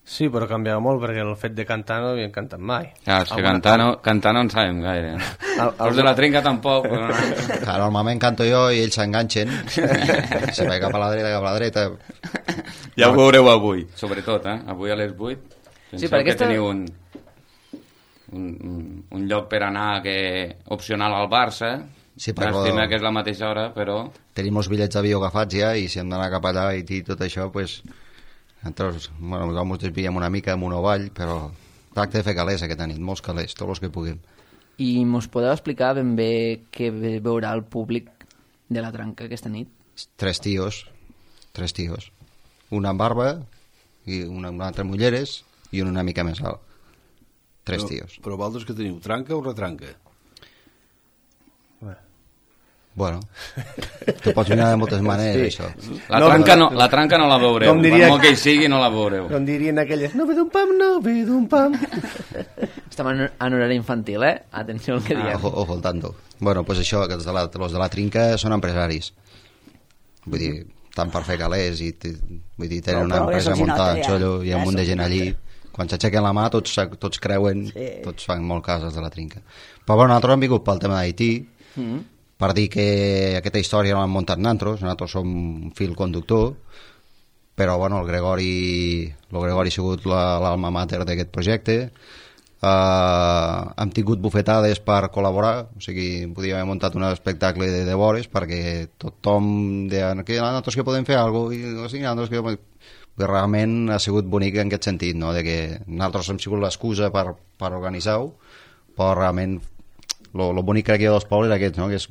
Sí, però canviava molt perquè el fet de cantar no havien cantat mai. Clar, és que Alguna cantar no, cantar no en sabem gaire. Al- Els de la trinca tampoc. Però... Clar, normalment canto jo i ells s'enganxen, se va cap a la dreta, cap a la dreta. Ja ho veureu avui, sobretot, eh? Avui a les vuit. Penseu Sí, perquè que aquesta- teniu un, un, un- un lloc per anar que opcional al Barça. Sí, però- M'estima que és la mateixa hora, però... Tenim els bitllets d'avió agafats ja i si hem d'anar cap allà i dir tot això, pues, nosaltres, bueno, nosaltres ens desviem una mica amunt o avall, però tracte de fer calés aquesta nit, molts calés, tots els que puguem. I mos podeu explicar ben bé què ve- veurà el públic de la tranca aquesta nit? Tres tios, tres tios. Un amb barba, i una, una altra amb ulleres i un una mica més alt. Tres però, tios. Però vosaltres que teniu, tranca o retranca? Bueno, te pots mirar de moltes maneres, Sí. això. La, No, tranca no, no, la tranca no la veureu. Com diria- Per molt que hi sigui, no la veureu. Com dirien aquelles, no ve d'un pam, no ve d'un pam. Estem en, en horari infantil, eh? Atenció al que Ah, diem. ojo, ojo al tanto. Bueno, pues això, que els de la, els de la trinca són empresaris. Vull dir, tant per fer calés i t- vull dir, tenen Però- una però empresa ja se'ls muntada nota, en ja. xollo, hi ha Ja un munt de se'ls gent allí. Quan s'aixequen la mà tots, tots creuen, Sí. tots fan molt cas els de la trinca. Però bueno, nosaltres hem vingut pel tema d'Haití, Mm. per dir que aquesta història no l'hem muntat nosaltres, nosaltres som un fil conductor, però bueno, el Gregori, el Gregori ha sigut la- l'alma mater d'aquest projecte. Uh, hem tingut bufetades per col·laborar, o sigui, podíem haver muntat un espectacle de devores perquè tothom deia que nosaltres que podem fer alguna cosa, i o sigui, nosaltres que... realment ha sigut bonic en aquest sentit, no? De que nosaltres hem sigut l'excusa per, per organitzar-ho, però realment lo, lo bonic crec jo dels pobles és aquest, no? Que és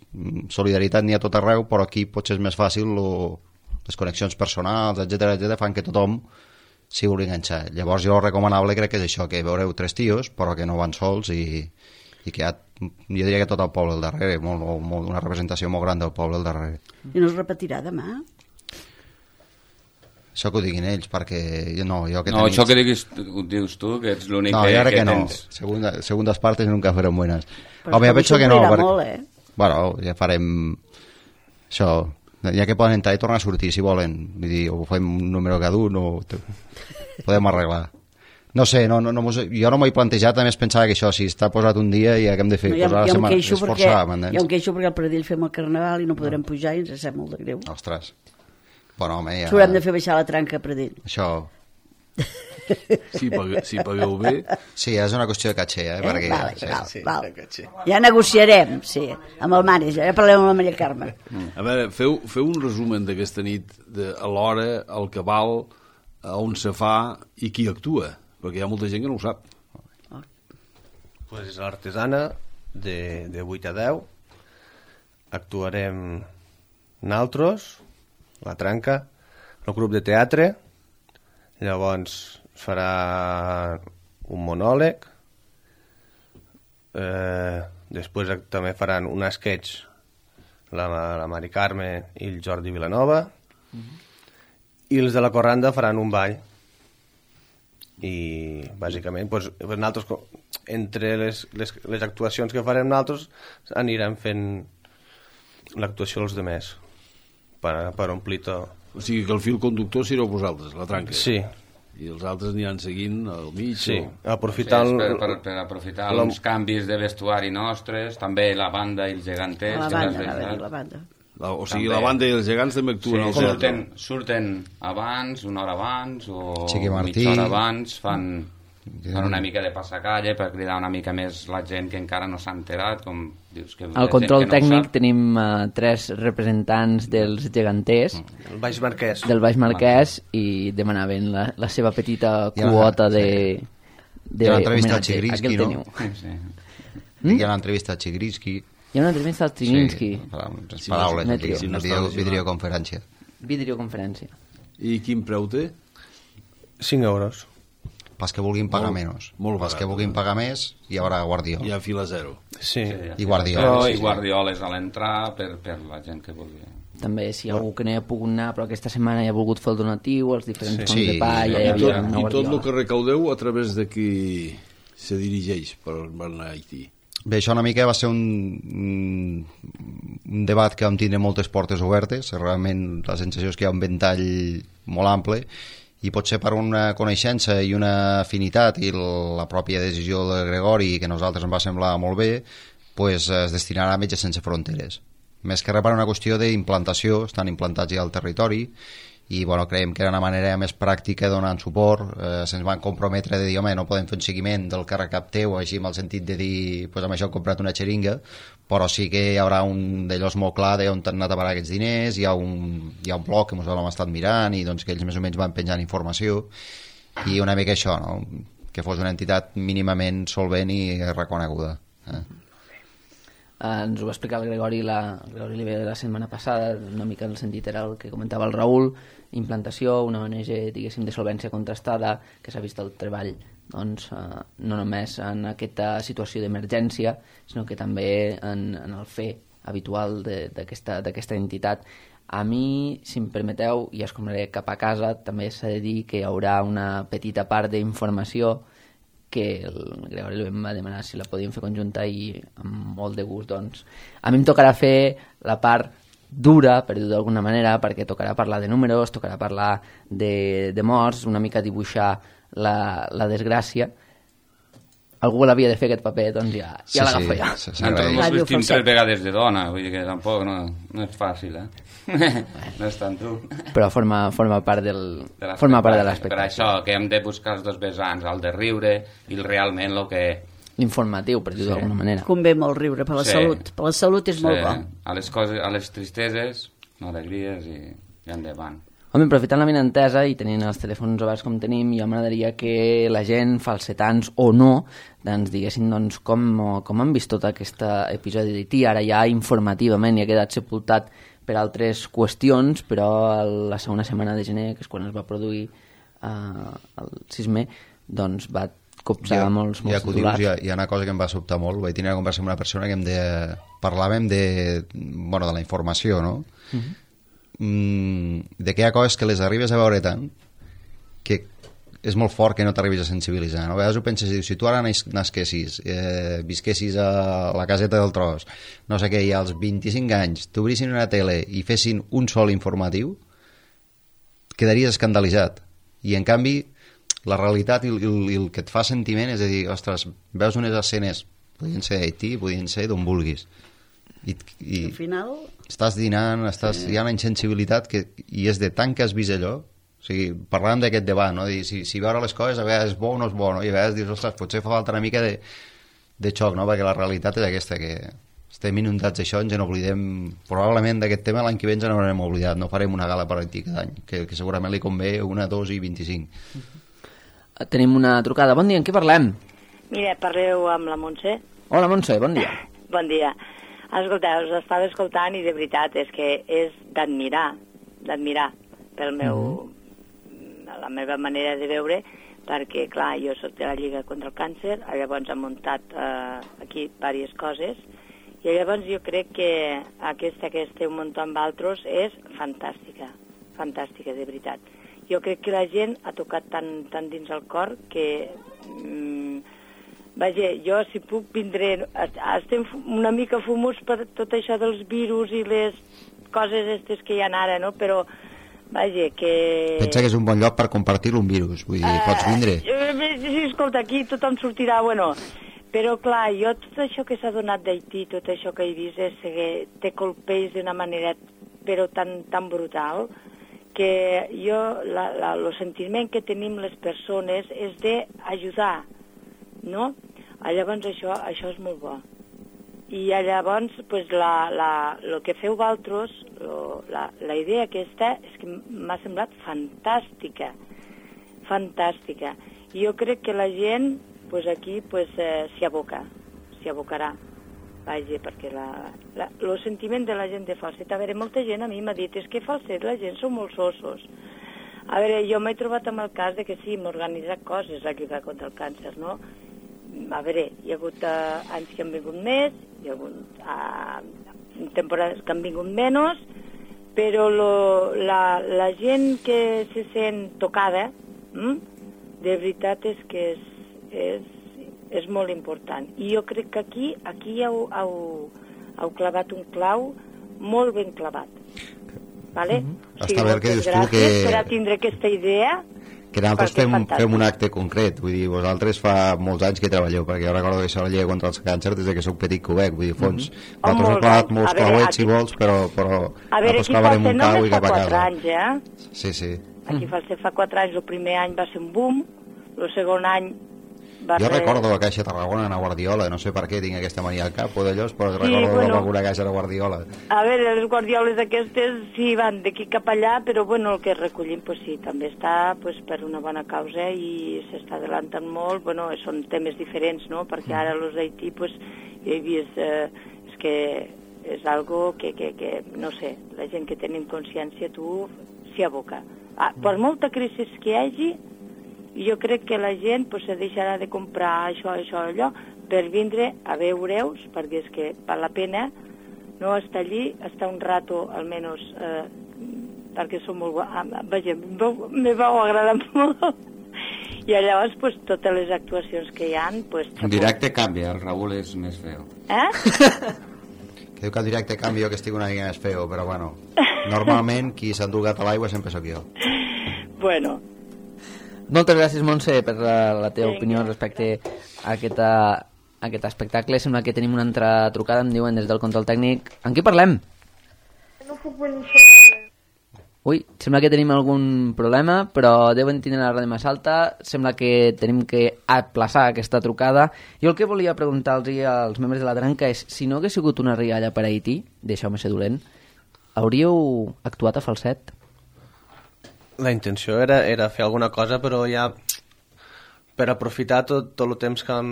solidaritat n'hi ha tot arreu, però aquí potser és més fàcil lo, les connexions personals, etcètera, etcètera, fan que tothom s'hi vulgui enganxar. Llavors jo el recomanable crec que és això, que veureu tres tios, però que no van sols i, i que hi ha, jo diria que tot el poble al darrere, molt, molt, una representació molt gran del poble al darrere. I no es repetirà demà? Això que ho diguin ells, perquè no, jo que no, tenis... això que diguis, ho dius tu, que ets l'únic no, que, que, que no. tens. Segunda, segundas partes nunca fueron buenas. Però Home, jo penso que no. Perquè... Perquè... molt, eh? Bueno, ja farem... Això, ja que poden entrar i tornar a sortir, si volen. Vull dir, o fem un número cada un, o... podem arreglar. No sé, no, no, no, jo no m'ho he plantejat, a més pensava que això, si està posat un dia ja que hem de fer, no, ja, posar la setmana, esforçar, m'entens? Jo em queixo perquè al Pradell fem el carnaval i no podrem no. pujar i ens sap molt de greu. Ostres. Bueno, home, ja... S'haurem de fer baixar la tranca a Pradell. Això... Si, pague, si pagueu bé... Sí, és una qüestió de caché, eh? eh? Perquè, vale, sí, val, sí, val. Sí, ja negociarem, sí, amb el manager, ja parlem amb la Maria Carme. Mm. A veure, feu, feu un resumen d'aquesta nit, de, a l'hora, al cabal, a on se fa i qui actua, perquè hi ha molta gent que no ho sap. Pues és l'artesana, de, de vuit a deu, actuarem naltros, la tranca, el grup de teatre, llavors farà un monòleg, eh, després també faran un sketch la, la Mari Carme i el Jordi Vilanova, mm-hmm. i els de la Corranda faran un ball. I bàsicament pues, nosaltres, entre les, les, les actuacions que farem nosaltres anirem fent l'actuació dels demés per, per omplir tot. O sigui que el fil conductor sereu vosaltres, la tranca. Sí. I els altres aniran seguint al mig. Sí, o... aprofitant... Sí, per, per, per aprofitar la... els canvis de vestuari nostres, també la banda i els geganters. La banda, la banda, la banda. La, o sigui, també. La banda i els gegants també actuen. Sí, surten, surten abans, una hora abans, o mitja hora abans, fan... fan una mica de passacalle per cridar una mica més la gent que encara no s'ha enterat, com dius que... Al control que no tècnic tenim uh, tres representants dels geganters el Baix Marquès del Baix Marquès i demanaven la, la seva petita quota de... de hi ha l'entrevista al Chigrinsky, no? Sí. Mm? Hi ha l'entrevista al Chigrinsky. Hi ha una entrevista al Chigrinsky. Sí, paraules, sí, sí, no videoconferència. Videoconferència. I quin preu té? cinc euros. Pas que vulguin pagar molt, menys. Molt pas barat, que vulguin pagar més, hi haurà Guardiola. Hi ha fila zero. Sí. sí I Guardiola. No, sí, I Guardioles a l'entrar per, per la gent que vulgui. També, si hi ha algú que no hi ha pogut anar, però aquesta setmana hi ha volgut fer el donatiu, els diferents sí. fons sí. de pa, ja hi havia havia una Guardiola. I tot el que recaudeu a través de qui se dirigeix per anar a Haití? Bé, això una mica va ser un, un debat que vam tindre moltes portes obertes, realment la sensació és que hi ha un ventall molt ample, i potser per una coneixença i una afinitat i la pròpia decisió de Gregori, que a nosaltres ens va semblar molt bé, pues es destinarà a Metges Sense Fronteres. Més que res per una qüestió d'implantació, estan implantats ja al territori, i bueno, creiem que era una manera més pràctica donant suport. Eh, se'ns van comprometre de dir, home, no podem fer un seguiment del que recapteu, així amb el sentit de dir, pues amb això hem comprat una xeringa, però sí que hi haurà un d'ells molt clar d'on han anat a parar aquests diners, hi ha un, hi ha un blog que ens l'hem estat mirant i doncs que ells més o menys van penjant informació, i una mica això, no? Que fos una entitat mínimament solvent i reconeguda. Eh? Uh, ens ho va explicar el Gregori la, el Gregori Oliver la setmana passada, una mica en el sentit era el que comentava el Raül, implantació, una O N G diguéssim de solvència contrastada, que s'ha vist el treball doncs, uh, no només en aquesta situació d'emergència, sinó que també en, en el fer habitual d'aquesta entitat. A mi, si em permeteu, i escombraré cap a casa, també s'ha de dir que hi haurà una petita part d'informació que el Gregori em va demanar si la podíem fer conjunta i amb molt de gust, doncs a mi em tocarà fer la part dura, per dir-ho d'alguna manera, perquè tocarà parlar de números, tocarà parlar de, de morts, una mica dibuixar la, la desgràcia. Algú l'havia de fer aquest paper, doncs ja, ja sí, l'agafo sí, ja. Sí, sí, nosaltres ens vestim tres vegades de dona, vull dir que tampoc no, no és fàcil, eh? No és tan dur. Però forma, forma part del de forma part de l'espectacle. Per això, que hem de buscar els dos vessants, el de riure i el realment el que... L'informatiu, per dir-ho sí. d'alguna manera. Convé molt riure, per la sí. salut. Per la salut és sí. molt bo. A les, coses, a les tristeses, alegries i, i endavant. Home, aprofitant la vinentesa i tenint els telèfons oberts com tenim, jo m'agradaria que la gent, falsetans o no, ens diguessin doncs, com, com han vist tot aquest episodi de T. Ara ja informativament i ha quedat sepultat per altres qüestions, però la segona setmana de gener, que és quan es va produir eh, el sisme, doncs va copsar ja, molts, molts ja titulars. Dius, hi, hi ha una cosa que em va sobtar molt. Vaig tenir una conversa amb una persona que em deia, parlàvem de, bueno, de la informació, no? Uh-huh. Mm, de que hi ha coses que les arribes a veure tant que és molt fort que no t'arribis a sensibilitzar, no? A vegades ho penses, si tu ara nasquessis, eh, visquessis a la caseta del tros, no sé què, i als vint-i-cinc anys t'obrissin una tele i fessin un sol informatiu, quedaries escandalitzat. I en canvi la realitat i el, i el que et fa sentiment és a dir, ostres, veus unes escenes, podien ser d'Haití, podien ser d'on vulguis, i, i al final estàs dinant, estàs, sí. Hi ha una insensibilitat que, i és de tant que has vist allò. O sigui, parlàvem d'aquest debat, no? Dir, si, si veure les coses a vegades és bo o no és bo, no? I a vegades dius, ostres, potser fa falta una mica de, de xoc, no? Perquè la realitat és aquesta, que estem inundats d'això, ens en oblidem, probablement d'aquest tema l'any que ve ens n'haurem oblidat, no farem una gala per Haití cada any, que, que segurament li convé una, dos i vint-i-cinc. Tenim una trucada. Bon dia, en què parlem? Mira, parleu amb la Montse. Hola, Montse, bon dia. Bon dia. Escolteu, us estava escoltant i de veritat és que és d'admirar, d'admirar pel meu... Mm. la meva manera de veure, perquè, clar, jo soc de la Lliga contra el Càncer, llavors hem muntat eh, aquí diverses coses, i llavors jo crec que aquesta que esteu muntant amb altres és fantàstica, fantàstica, de veritat. Jo crec que la gent ha tocat tan, tan dins el cor que... Mm, vaja, jo si puc vindré... Estem una mica fumuts per tot això dels virus i les coses aquestes que hi ha ara, no? Però vaja, que... Pensa que és un bon lloc per compartir-lo un virus, vull dir, uh, pots vindre. Sí, escolta, aquí tothom sortirà, bueno, però clar, jo tot això que s'ha donat d'Haití, tot això que he vist, és que te colpeix d'una manera però tan, tan brutal, que jo, la, la, el sentiment que tenim les persones és d'ajudar, no? Llavors això, això és molt bo. I llavors, pues, la, la, el que feu vosaltres, la, la idea aquesta, és que m'ha semblat fantàstica, fantàstica. I jo crec que la gent, pues, aquí, pues, eh, s'hi aboca, s'hi abocarà. Vaja, perquè la, la, el sentiment de la gent de Falset, a veure, molta gent a mi m'ha dit, és que Falset la gent són molt sossos. A veure, jo m'he trobat amb el cas de que sí, m'he organitzat coses a lluitar contra el càncer, no? A veure, hi ha hagut uh, anys que han vingut més, hi ha hagut uh, temporades que han vingut menys, però lo, la, la gent que se sent tocada, hm? de veritat és que és, és, és molt important. I jo crec que aquí, aquí heu, heu, heu clavat un clau molt ben clavat. Vale? Mm-hmm. O sigui, Està bé que dius tu que... per a tindre aquesta idea... Que nosaltres fem, fem un acte concret, vull dir, vosaltres fa molts anys que treballeu, perquè jo recordo que això la llei contra el càncer des que soc petit que ho veig, vull dir, fons, mm-hmm. nosaltres hem clavat molts clauets, aquí... si vols, però, però a veure, aquí fa ser només fa quatre anys, eh? Sí, sí. Aquí fa ser fa quatre anys, el primer any va ser un boom, el segon any va jo ser... recordo la Caixa Tarragona a Guardiola, no sé per què tinc aquesta mania al cap o d'allò, però sí, recordo bueno, alguna Caixa de Guardiola. A veure, les guardioles aquestes sí van d'aquí cap allà, però bueno, el que recollim pues sí, també està pues, per una bona causa i s'està adelantant molt, bueno, són temes diferents, no? Perquè ara els d'Haití, pues, jo he vist, eh, és que és algo que, que, que, no sé, la gent que tenim consciència, tu s'hi aboca. Ah, per molta crisi que hi hagi, jo crec que la gent pues, se deixarà de comprar això, això, allò, per vindre a veure-us, perquè és que val la pena no estar allí, estar un rato, almenys, eh, perquè som molt... Ah, vaja, me vau agradar molt. I llavors, pues, totes les actuacions que hi ha... Pues, el directe canvia, el Raül és més feo. Eh? Que diu que el directe canvia que estic una mica més feo, però bueno, normalment qui s'ha endugat a l'aigua sempre sóc jo. Bueno... Moltes gràcies, Montse, per la, la teva Vinga, opinió respecte a, aquesta, a aquest espectacle. Sembla que tenim una altra trucada, em diuen des del control tècnic. En qui parlem? No puc venir sobre... Ui, sembla que tenim algun problema, però deuen tenir la ràdio més alta. Sembla que tenim que aplaçar aquesta trucada. Jo el que volia preguntar-los als membres de la Tranca és, si no hagués sigut una rialla per a Haití, deixeu-me ser dolent, hauríeu actuat a Falset? La intenció era, era fer alguna cosa, però ja per aprofitar tot, tot el temps que hem,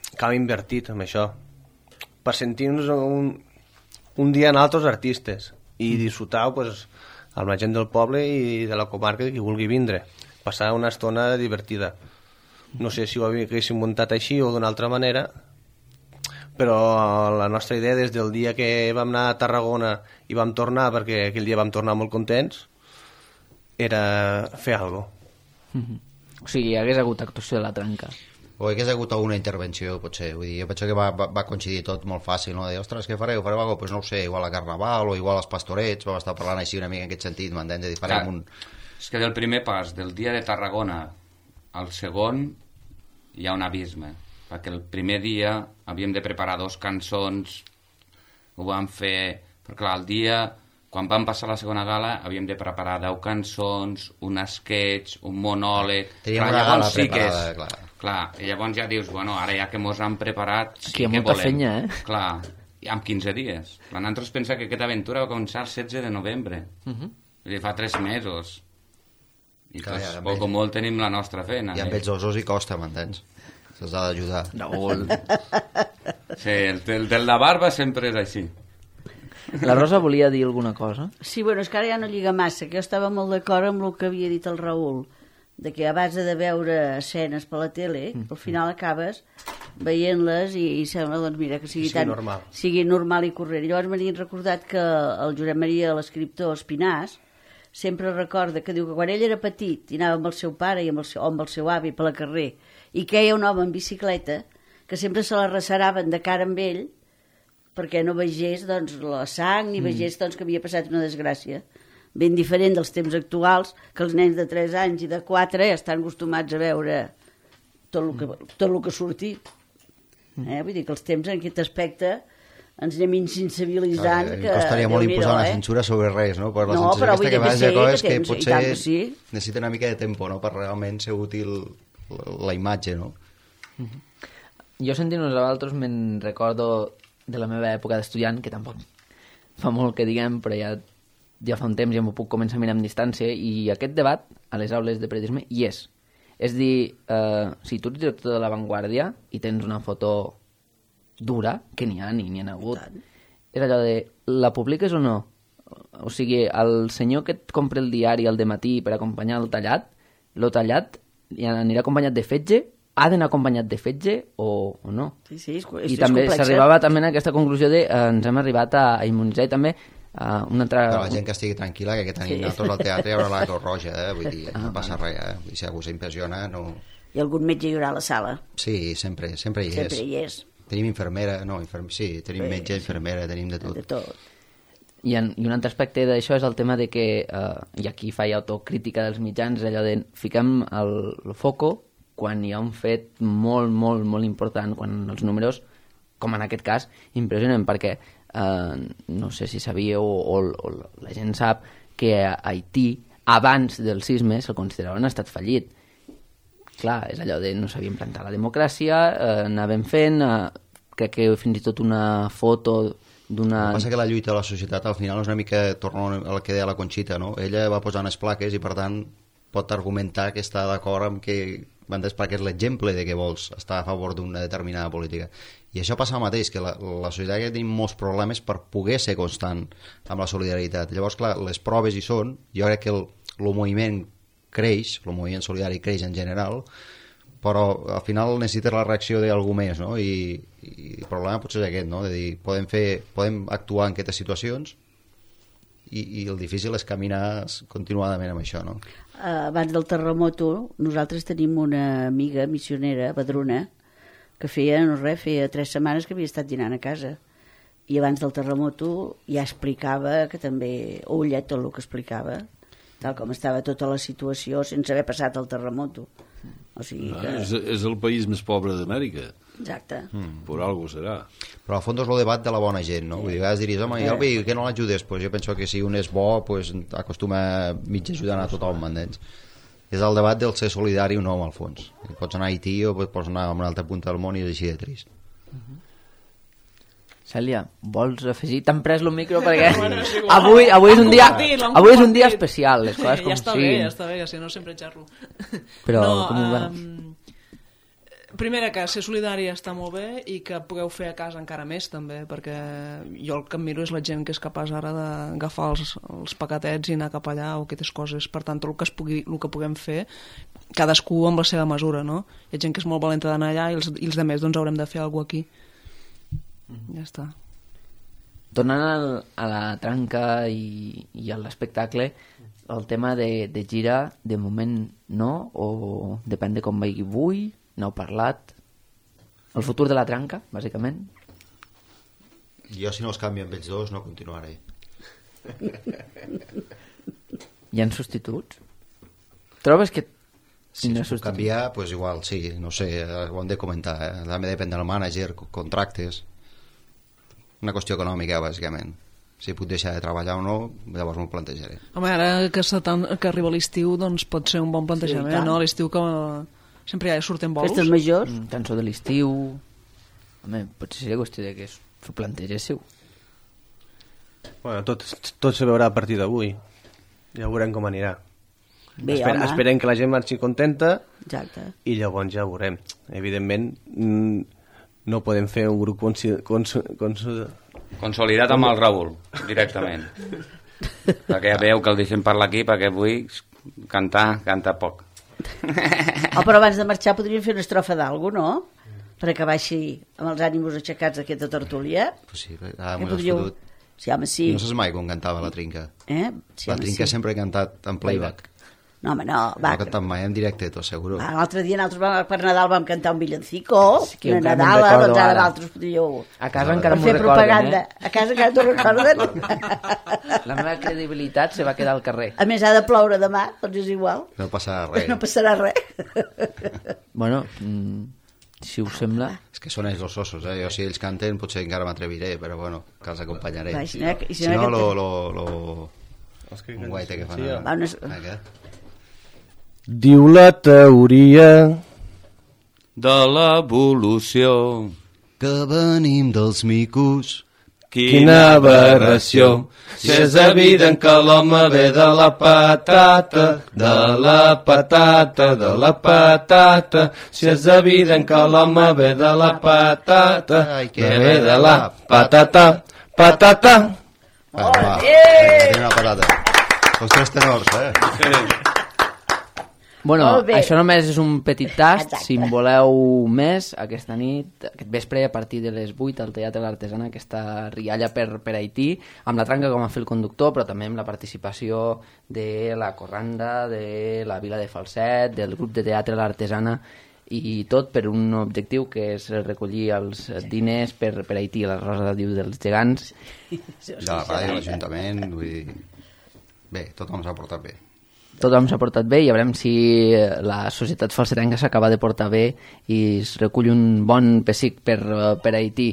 que hem invertit en això, per sentir-nos un, un dia en altres artistes i disfrutar pues, amb la gent del poble i de la comarca que vulgui vindre, passar una estona divertida. No sé si ho haguéssim muntat així o d'una altra manera, però la nostra idea des del dia que vam anar a Tarragona i vam tornar, perquè aquell dia vam tornar molt contents, era fer alguna cosa. Mm-hmm. O sigui, hi hagués hagut actuació de la Tranca. O hi hagués hagut alguna intervenció, potser. Vull dir, jo penso que va, va, va coincidir tot molt fàcil, no? De, ostres, què fareu? Fareu alguna cosa? Pues no ho sé, igual a Carnaval o igual als Pastorets, vam estar parlant així una mica en aquest sentit, m'entens? De dir, farem un... És que del primer pas, del dia de Tarragona al segon, hi ha un abisme. Perquè el primer dia havíem de preparar dos cançons, ho vam fer... Però clar, el dia... Quan vam passar la segona gala havíem de preparar deu cançons, un sketch, un monòleg... Teníem una gala preparada, és, clar. Clar, i llavors ja dius, bueno, ara ja que mos han preparat... Sí, aquí hi ha molta volem. fenya, eh? Clar, i amb quinze dies. Clar, nosaltres pensem que aquesta aventura va començar el setze de novembre. Uh-huh. Vull dir, fa tres mesos. I clar, pues, ja, poc o molt tenim la nostra feina. I amb eh? ells osos hi costa, m'entens? Se'ls ha d'ajudar. Raül. Sí, el, el del de barba sempre és així. La Rosa volia dir alguna cosa? Sí, bueno, és que ara ja no lliga massa, que jo estava molt d'acord amb el que havia dit el Raül, de que a base de veure escenes per la tele, mm. al final acabes veient-les i, i sembla, doncs mira, que sigui, sí, tan, normal. sigui normal i corrent. Llavors m'havien recordat que el Josep Maria, l'escriptor Espinàs, sempre recorda que diu que quan ell era petit i anava amb el seu pare i amb el seu, o amb el seu avi per la carrer i queia un home en bicicleta, que sempre se la receraven de cara amb ell perquè no vegés doncs, la sang ni vegés doncs, que havia passat una desgràcia. Ben diferent dels temps actuals, que els nens de tres anys i de quatre estan acostumats a veure tot el que, tot el que surti. Eh? Vull dir que els temps en aquest aspecte ens anem insensibilitzant. Clar, que costaria molt imposar una censura eh? sobre res, no? Per la no, censura aquesta que va de coses que, que potser que sí. necessita una mica de tempo, no? Per realment ser útil la, la imatge, no? Mm-hmm. Jo sentint-nos a vosaltres me'n recordo de la meva època d'estudiant, que tampoc fa molt que diguem, però ja, ja fa un temps ja m'ho puc començar a mirar amb distància, i aquest debat a les aules de periodisme hi és. És dir, eh, si tu ets director de La Vanguardia i tens una foto dura, que n'hi ha, ni n'hi ha hagut, és allò de, la publiques o no? O sigui, el senyor que et compra el diari al dematí per acompanyar el tallat, lo tallat anirà acompanyat de fetge, ha d'anar acompanyat de fetge o, o no. Sí, sí, és, és, I també és s'arribava també a aquesta conclusió de eh, ens hem arribat a, a immunitzar i també a una altra... Però la gent que estigui tranquil·la, que tenim sí. nosaltres al teatre hi haurà la Creu Roja, eh? Vull dir, ah, no passa res, eh? Vull dir, si algú s'impressiona, no... I algun metge hi haurà a la sala. Sí, sempre, sempre hi és. Sempre hi és. Tenim infermera, no, inferm... sí, tenim sí, metge, infermera, tenim de tot. De tot. I, en, I un altre aspecte d'això és el tema de que, eh, i aquí faig autocrítica dels mitjans, allò de fiquem el, el foco quan hi ha un fet molt, molt, molt important, quan els números, com en aquest cas, impressionen, perquè eh, no sé si sabíeu o, o, o la gent sap que a Haití, abans del sisme, se'l considerava un estat fallit. Clar, és allò de no sabia implantar la democràcia, eh, anàvem fent, eh, crec que fins i tot una foto d'una... El que passa que la lluita de la societat al final és una mica, torno al que deia la Conxita, no? Ella va posar unes plaques i per tant pot argumentar que està d'acord amb que van perquè és l'exemple de que vols estar a favor d'una determinada política. I això passa el mateix, que la, la societat que tenim molts problemes per poder ser constant amb la solidaritat. Llavors, clar, les proves hi són, jo crec que el, el moviment creix, el moviment solidari creix en general, però al final necessites la reacció d'algú més, no? I, i el problema potser és aquest, no? De dir, podem, fer, podem actuar en aquestes situacions i, i el difícil és caminar continuadament amb això, no? Abans del terremoto, nosaltres tenim una amiga missionera, Badruna, que feia, no res, feia tres setmanes que havia estat dinant a casa. I abans del terremoto ja explicava que també, ulla, tot el que explicava, tal com estava tota la situació sense haver passat el terremoto. O sigui que... és, és el país més pobre d'Amèrica. Exacte. Mm, per algo serà. Però al fons és el debat de la bona gent, no? Vull dir, a vegades diries, home, i el veí, que no l'ajudes? Pues jo penso que si un és bo, pues, acostuma mig ajudant a tothom, m'entens? És el debat del ser solidari o no, al fons. Pots anar a Haití o pots anar a una altra punta del món i és així de trist. Cèlia, vols afegir? T'han pres el micro perquè avui, avui, és un dia, avui és un dia especial, les coses com ja està siguin. bé, ja està bé, que si no sempre xerro. Però no, com ho veus? Um, primera, que ser solidari està molt bé i que pugueu fer a casa encara més també, perquè jo el que em miro és la gent que és capaç ara d'agafar els, els paquetets i anar cap allà o aquestes coses. Per tant, tot el que, es pugui, el que puguem fer, cadascú amb la seva mesura, no? Hi ha gent que és molt valenta d'anar allà i els, i els demés doncs haurem de fer alguna cosa aquí. Ja està. Tornant al, a la tranca i, i a l'espectacle, el tema de, de gira, de moment no, o depèn de com vagi avui, n'heu parlat? El futur de la tranca, bàsicament? Jo, si no els canvio amb ells dos, no continuaré. Hi ha substituts? Trobes que si no es pot canviar, pues igual, sí, no sé, ho hem de comentar, eh? També depèn del mànager, contractes, una qüestió econòmica, bàsicament. Si puc deixar de treballar o no, llavors m'ho plantejaré. Home, ara que, tan, que arriba l'estiu, doncs pot ser un bon plantejament, sí, no? L'estiu que sempre ja surten bolos. Festes majors. Mm, cançó de l'estiu. Home, potser seria qüestió de que s'ho plantegéssiu. Bueno, tot, tot se veurà a partir d'avui. Ja veurem com anirà. Bé, Esper, esperem que la gent marxi contenta. Exacte. I llavors ja veurem. Evidentment, no podem fer un grup cons, cons, cons, consolidat amb el Raül, directament. Perquè ja veieu que el deixem parlar aquí, perquè avui cantar, canta poc. Oh, però abans de marxar podríem fer una estrofa d'algú, no? Per acabar així amb els ànims aixecats d'aquesta tertúlia. Pues sí, ara m'ho podríeu... has fotut. Sí, home, sí. No saps mai com cantava la Trinca. Eh? Sí, la home, Trinca sí. sempre he cantat en playback. No, home, no. Va. No he cantat mai en directe, t'ho asseguro. L'altre dia nosaltres per Nadal vam cantar un villancico, sí, una Nadala, doncs ara d'altres podríeu... A casa encara m'ho fer recorden, propaganda. eh? A casa encara t'ho recorden. La meva credibilitat se va quedar al carrer. A més, ha de ploure demà, doncs és igual. No passarà res. No passarà res. Bueno, mm, si us sembla... És que són ells els ossos, eh? Jo si ells canten potser encara m'atreviré, però bueno, que els acompanyaré. Va, si no, si si no, no lo... lo, lo... un guaite que fan. Sí, a... va, no és... Diu la teoria de l'evolució que venim dels micos. Quina aberració! Si és evident que l'home ve de la patata, de la patata, de la patata. Si és evident que l'home ve de la patata, que ve de la patata, patata. Va, va, tinc una patata. Els tres tenors, eh? Bueno, això només és un petit tast. Exacte. Si en voleu més, aquesta nit, aquest vespre, a partir de les vuit, al Teatre L'Artesana, aquesta rialla per, per Haití, amb la tranca com a fil conductor, però també amb la participació de la Corranda, de la Vila de Falset, del grup de Teatre L'Artesana, i tot per un objectiu que és recollir els diners per, per Haití, la Rosa diu dels gegants. De la ràdio, l'Ajuntament, vull dir... Bé, tothom s'ha portat bé. Tothom s'ha portat bé i a veurem si la societat falsetenca s'acaba de portar bé i es recull un bon pessic per, per Haití.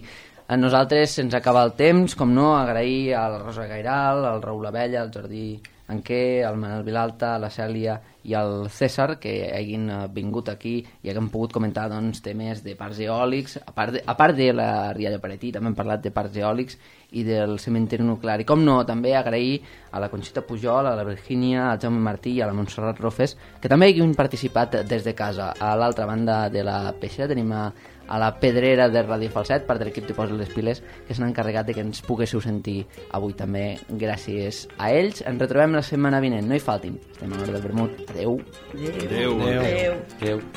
A nosaltres se'ns acaba el temps, com no, agrair a la Rosa Gairal, al Raül Abella, al Jordi Anquer, al Manel Vilalta, a la Cèlia i al César, que hagin vingut aquí i hagin pogut comentar doncs, temes de parcs eòlics, a part de, a part de la rialla per Haití, també hem parlat de parcs eòlics i del cementiri nuclear. I com no, també agrair a la Conxita Pujol, a la Virgínia, al Jaume Martí i a la Montserrat Rofes, que també hagin participat des de casa. A l'altra banda de la Peixera tenim a, a la Pedrera de Ràdio Falset, part de l'equip de Posa les Piles, que s'han encarregat de que ens poguéssiu sentir avui també gràcies a ells. Ens retrobem la setmana vinent, no hi faltin. Estem a l'hora del vermut. Adeu. Adeu. Adeu. Adeu. Adeu.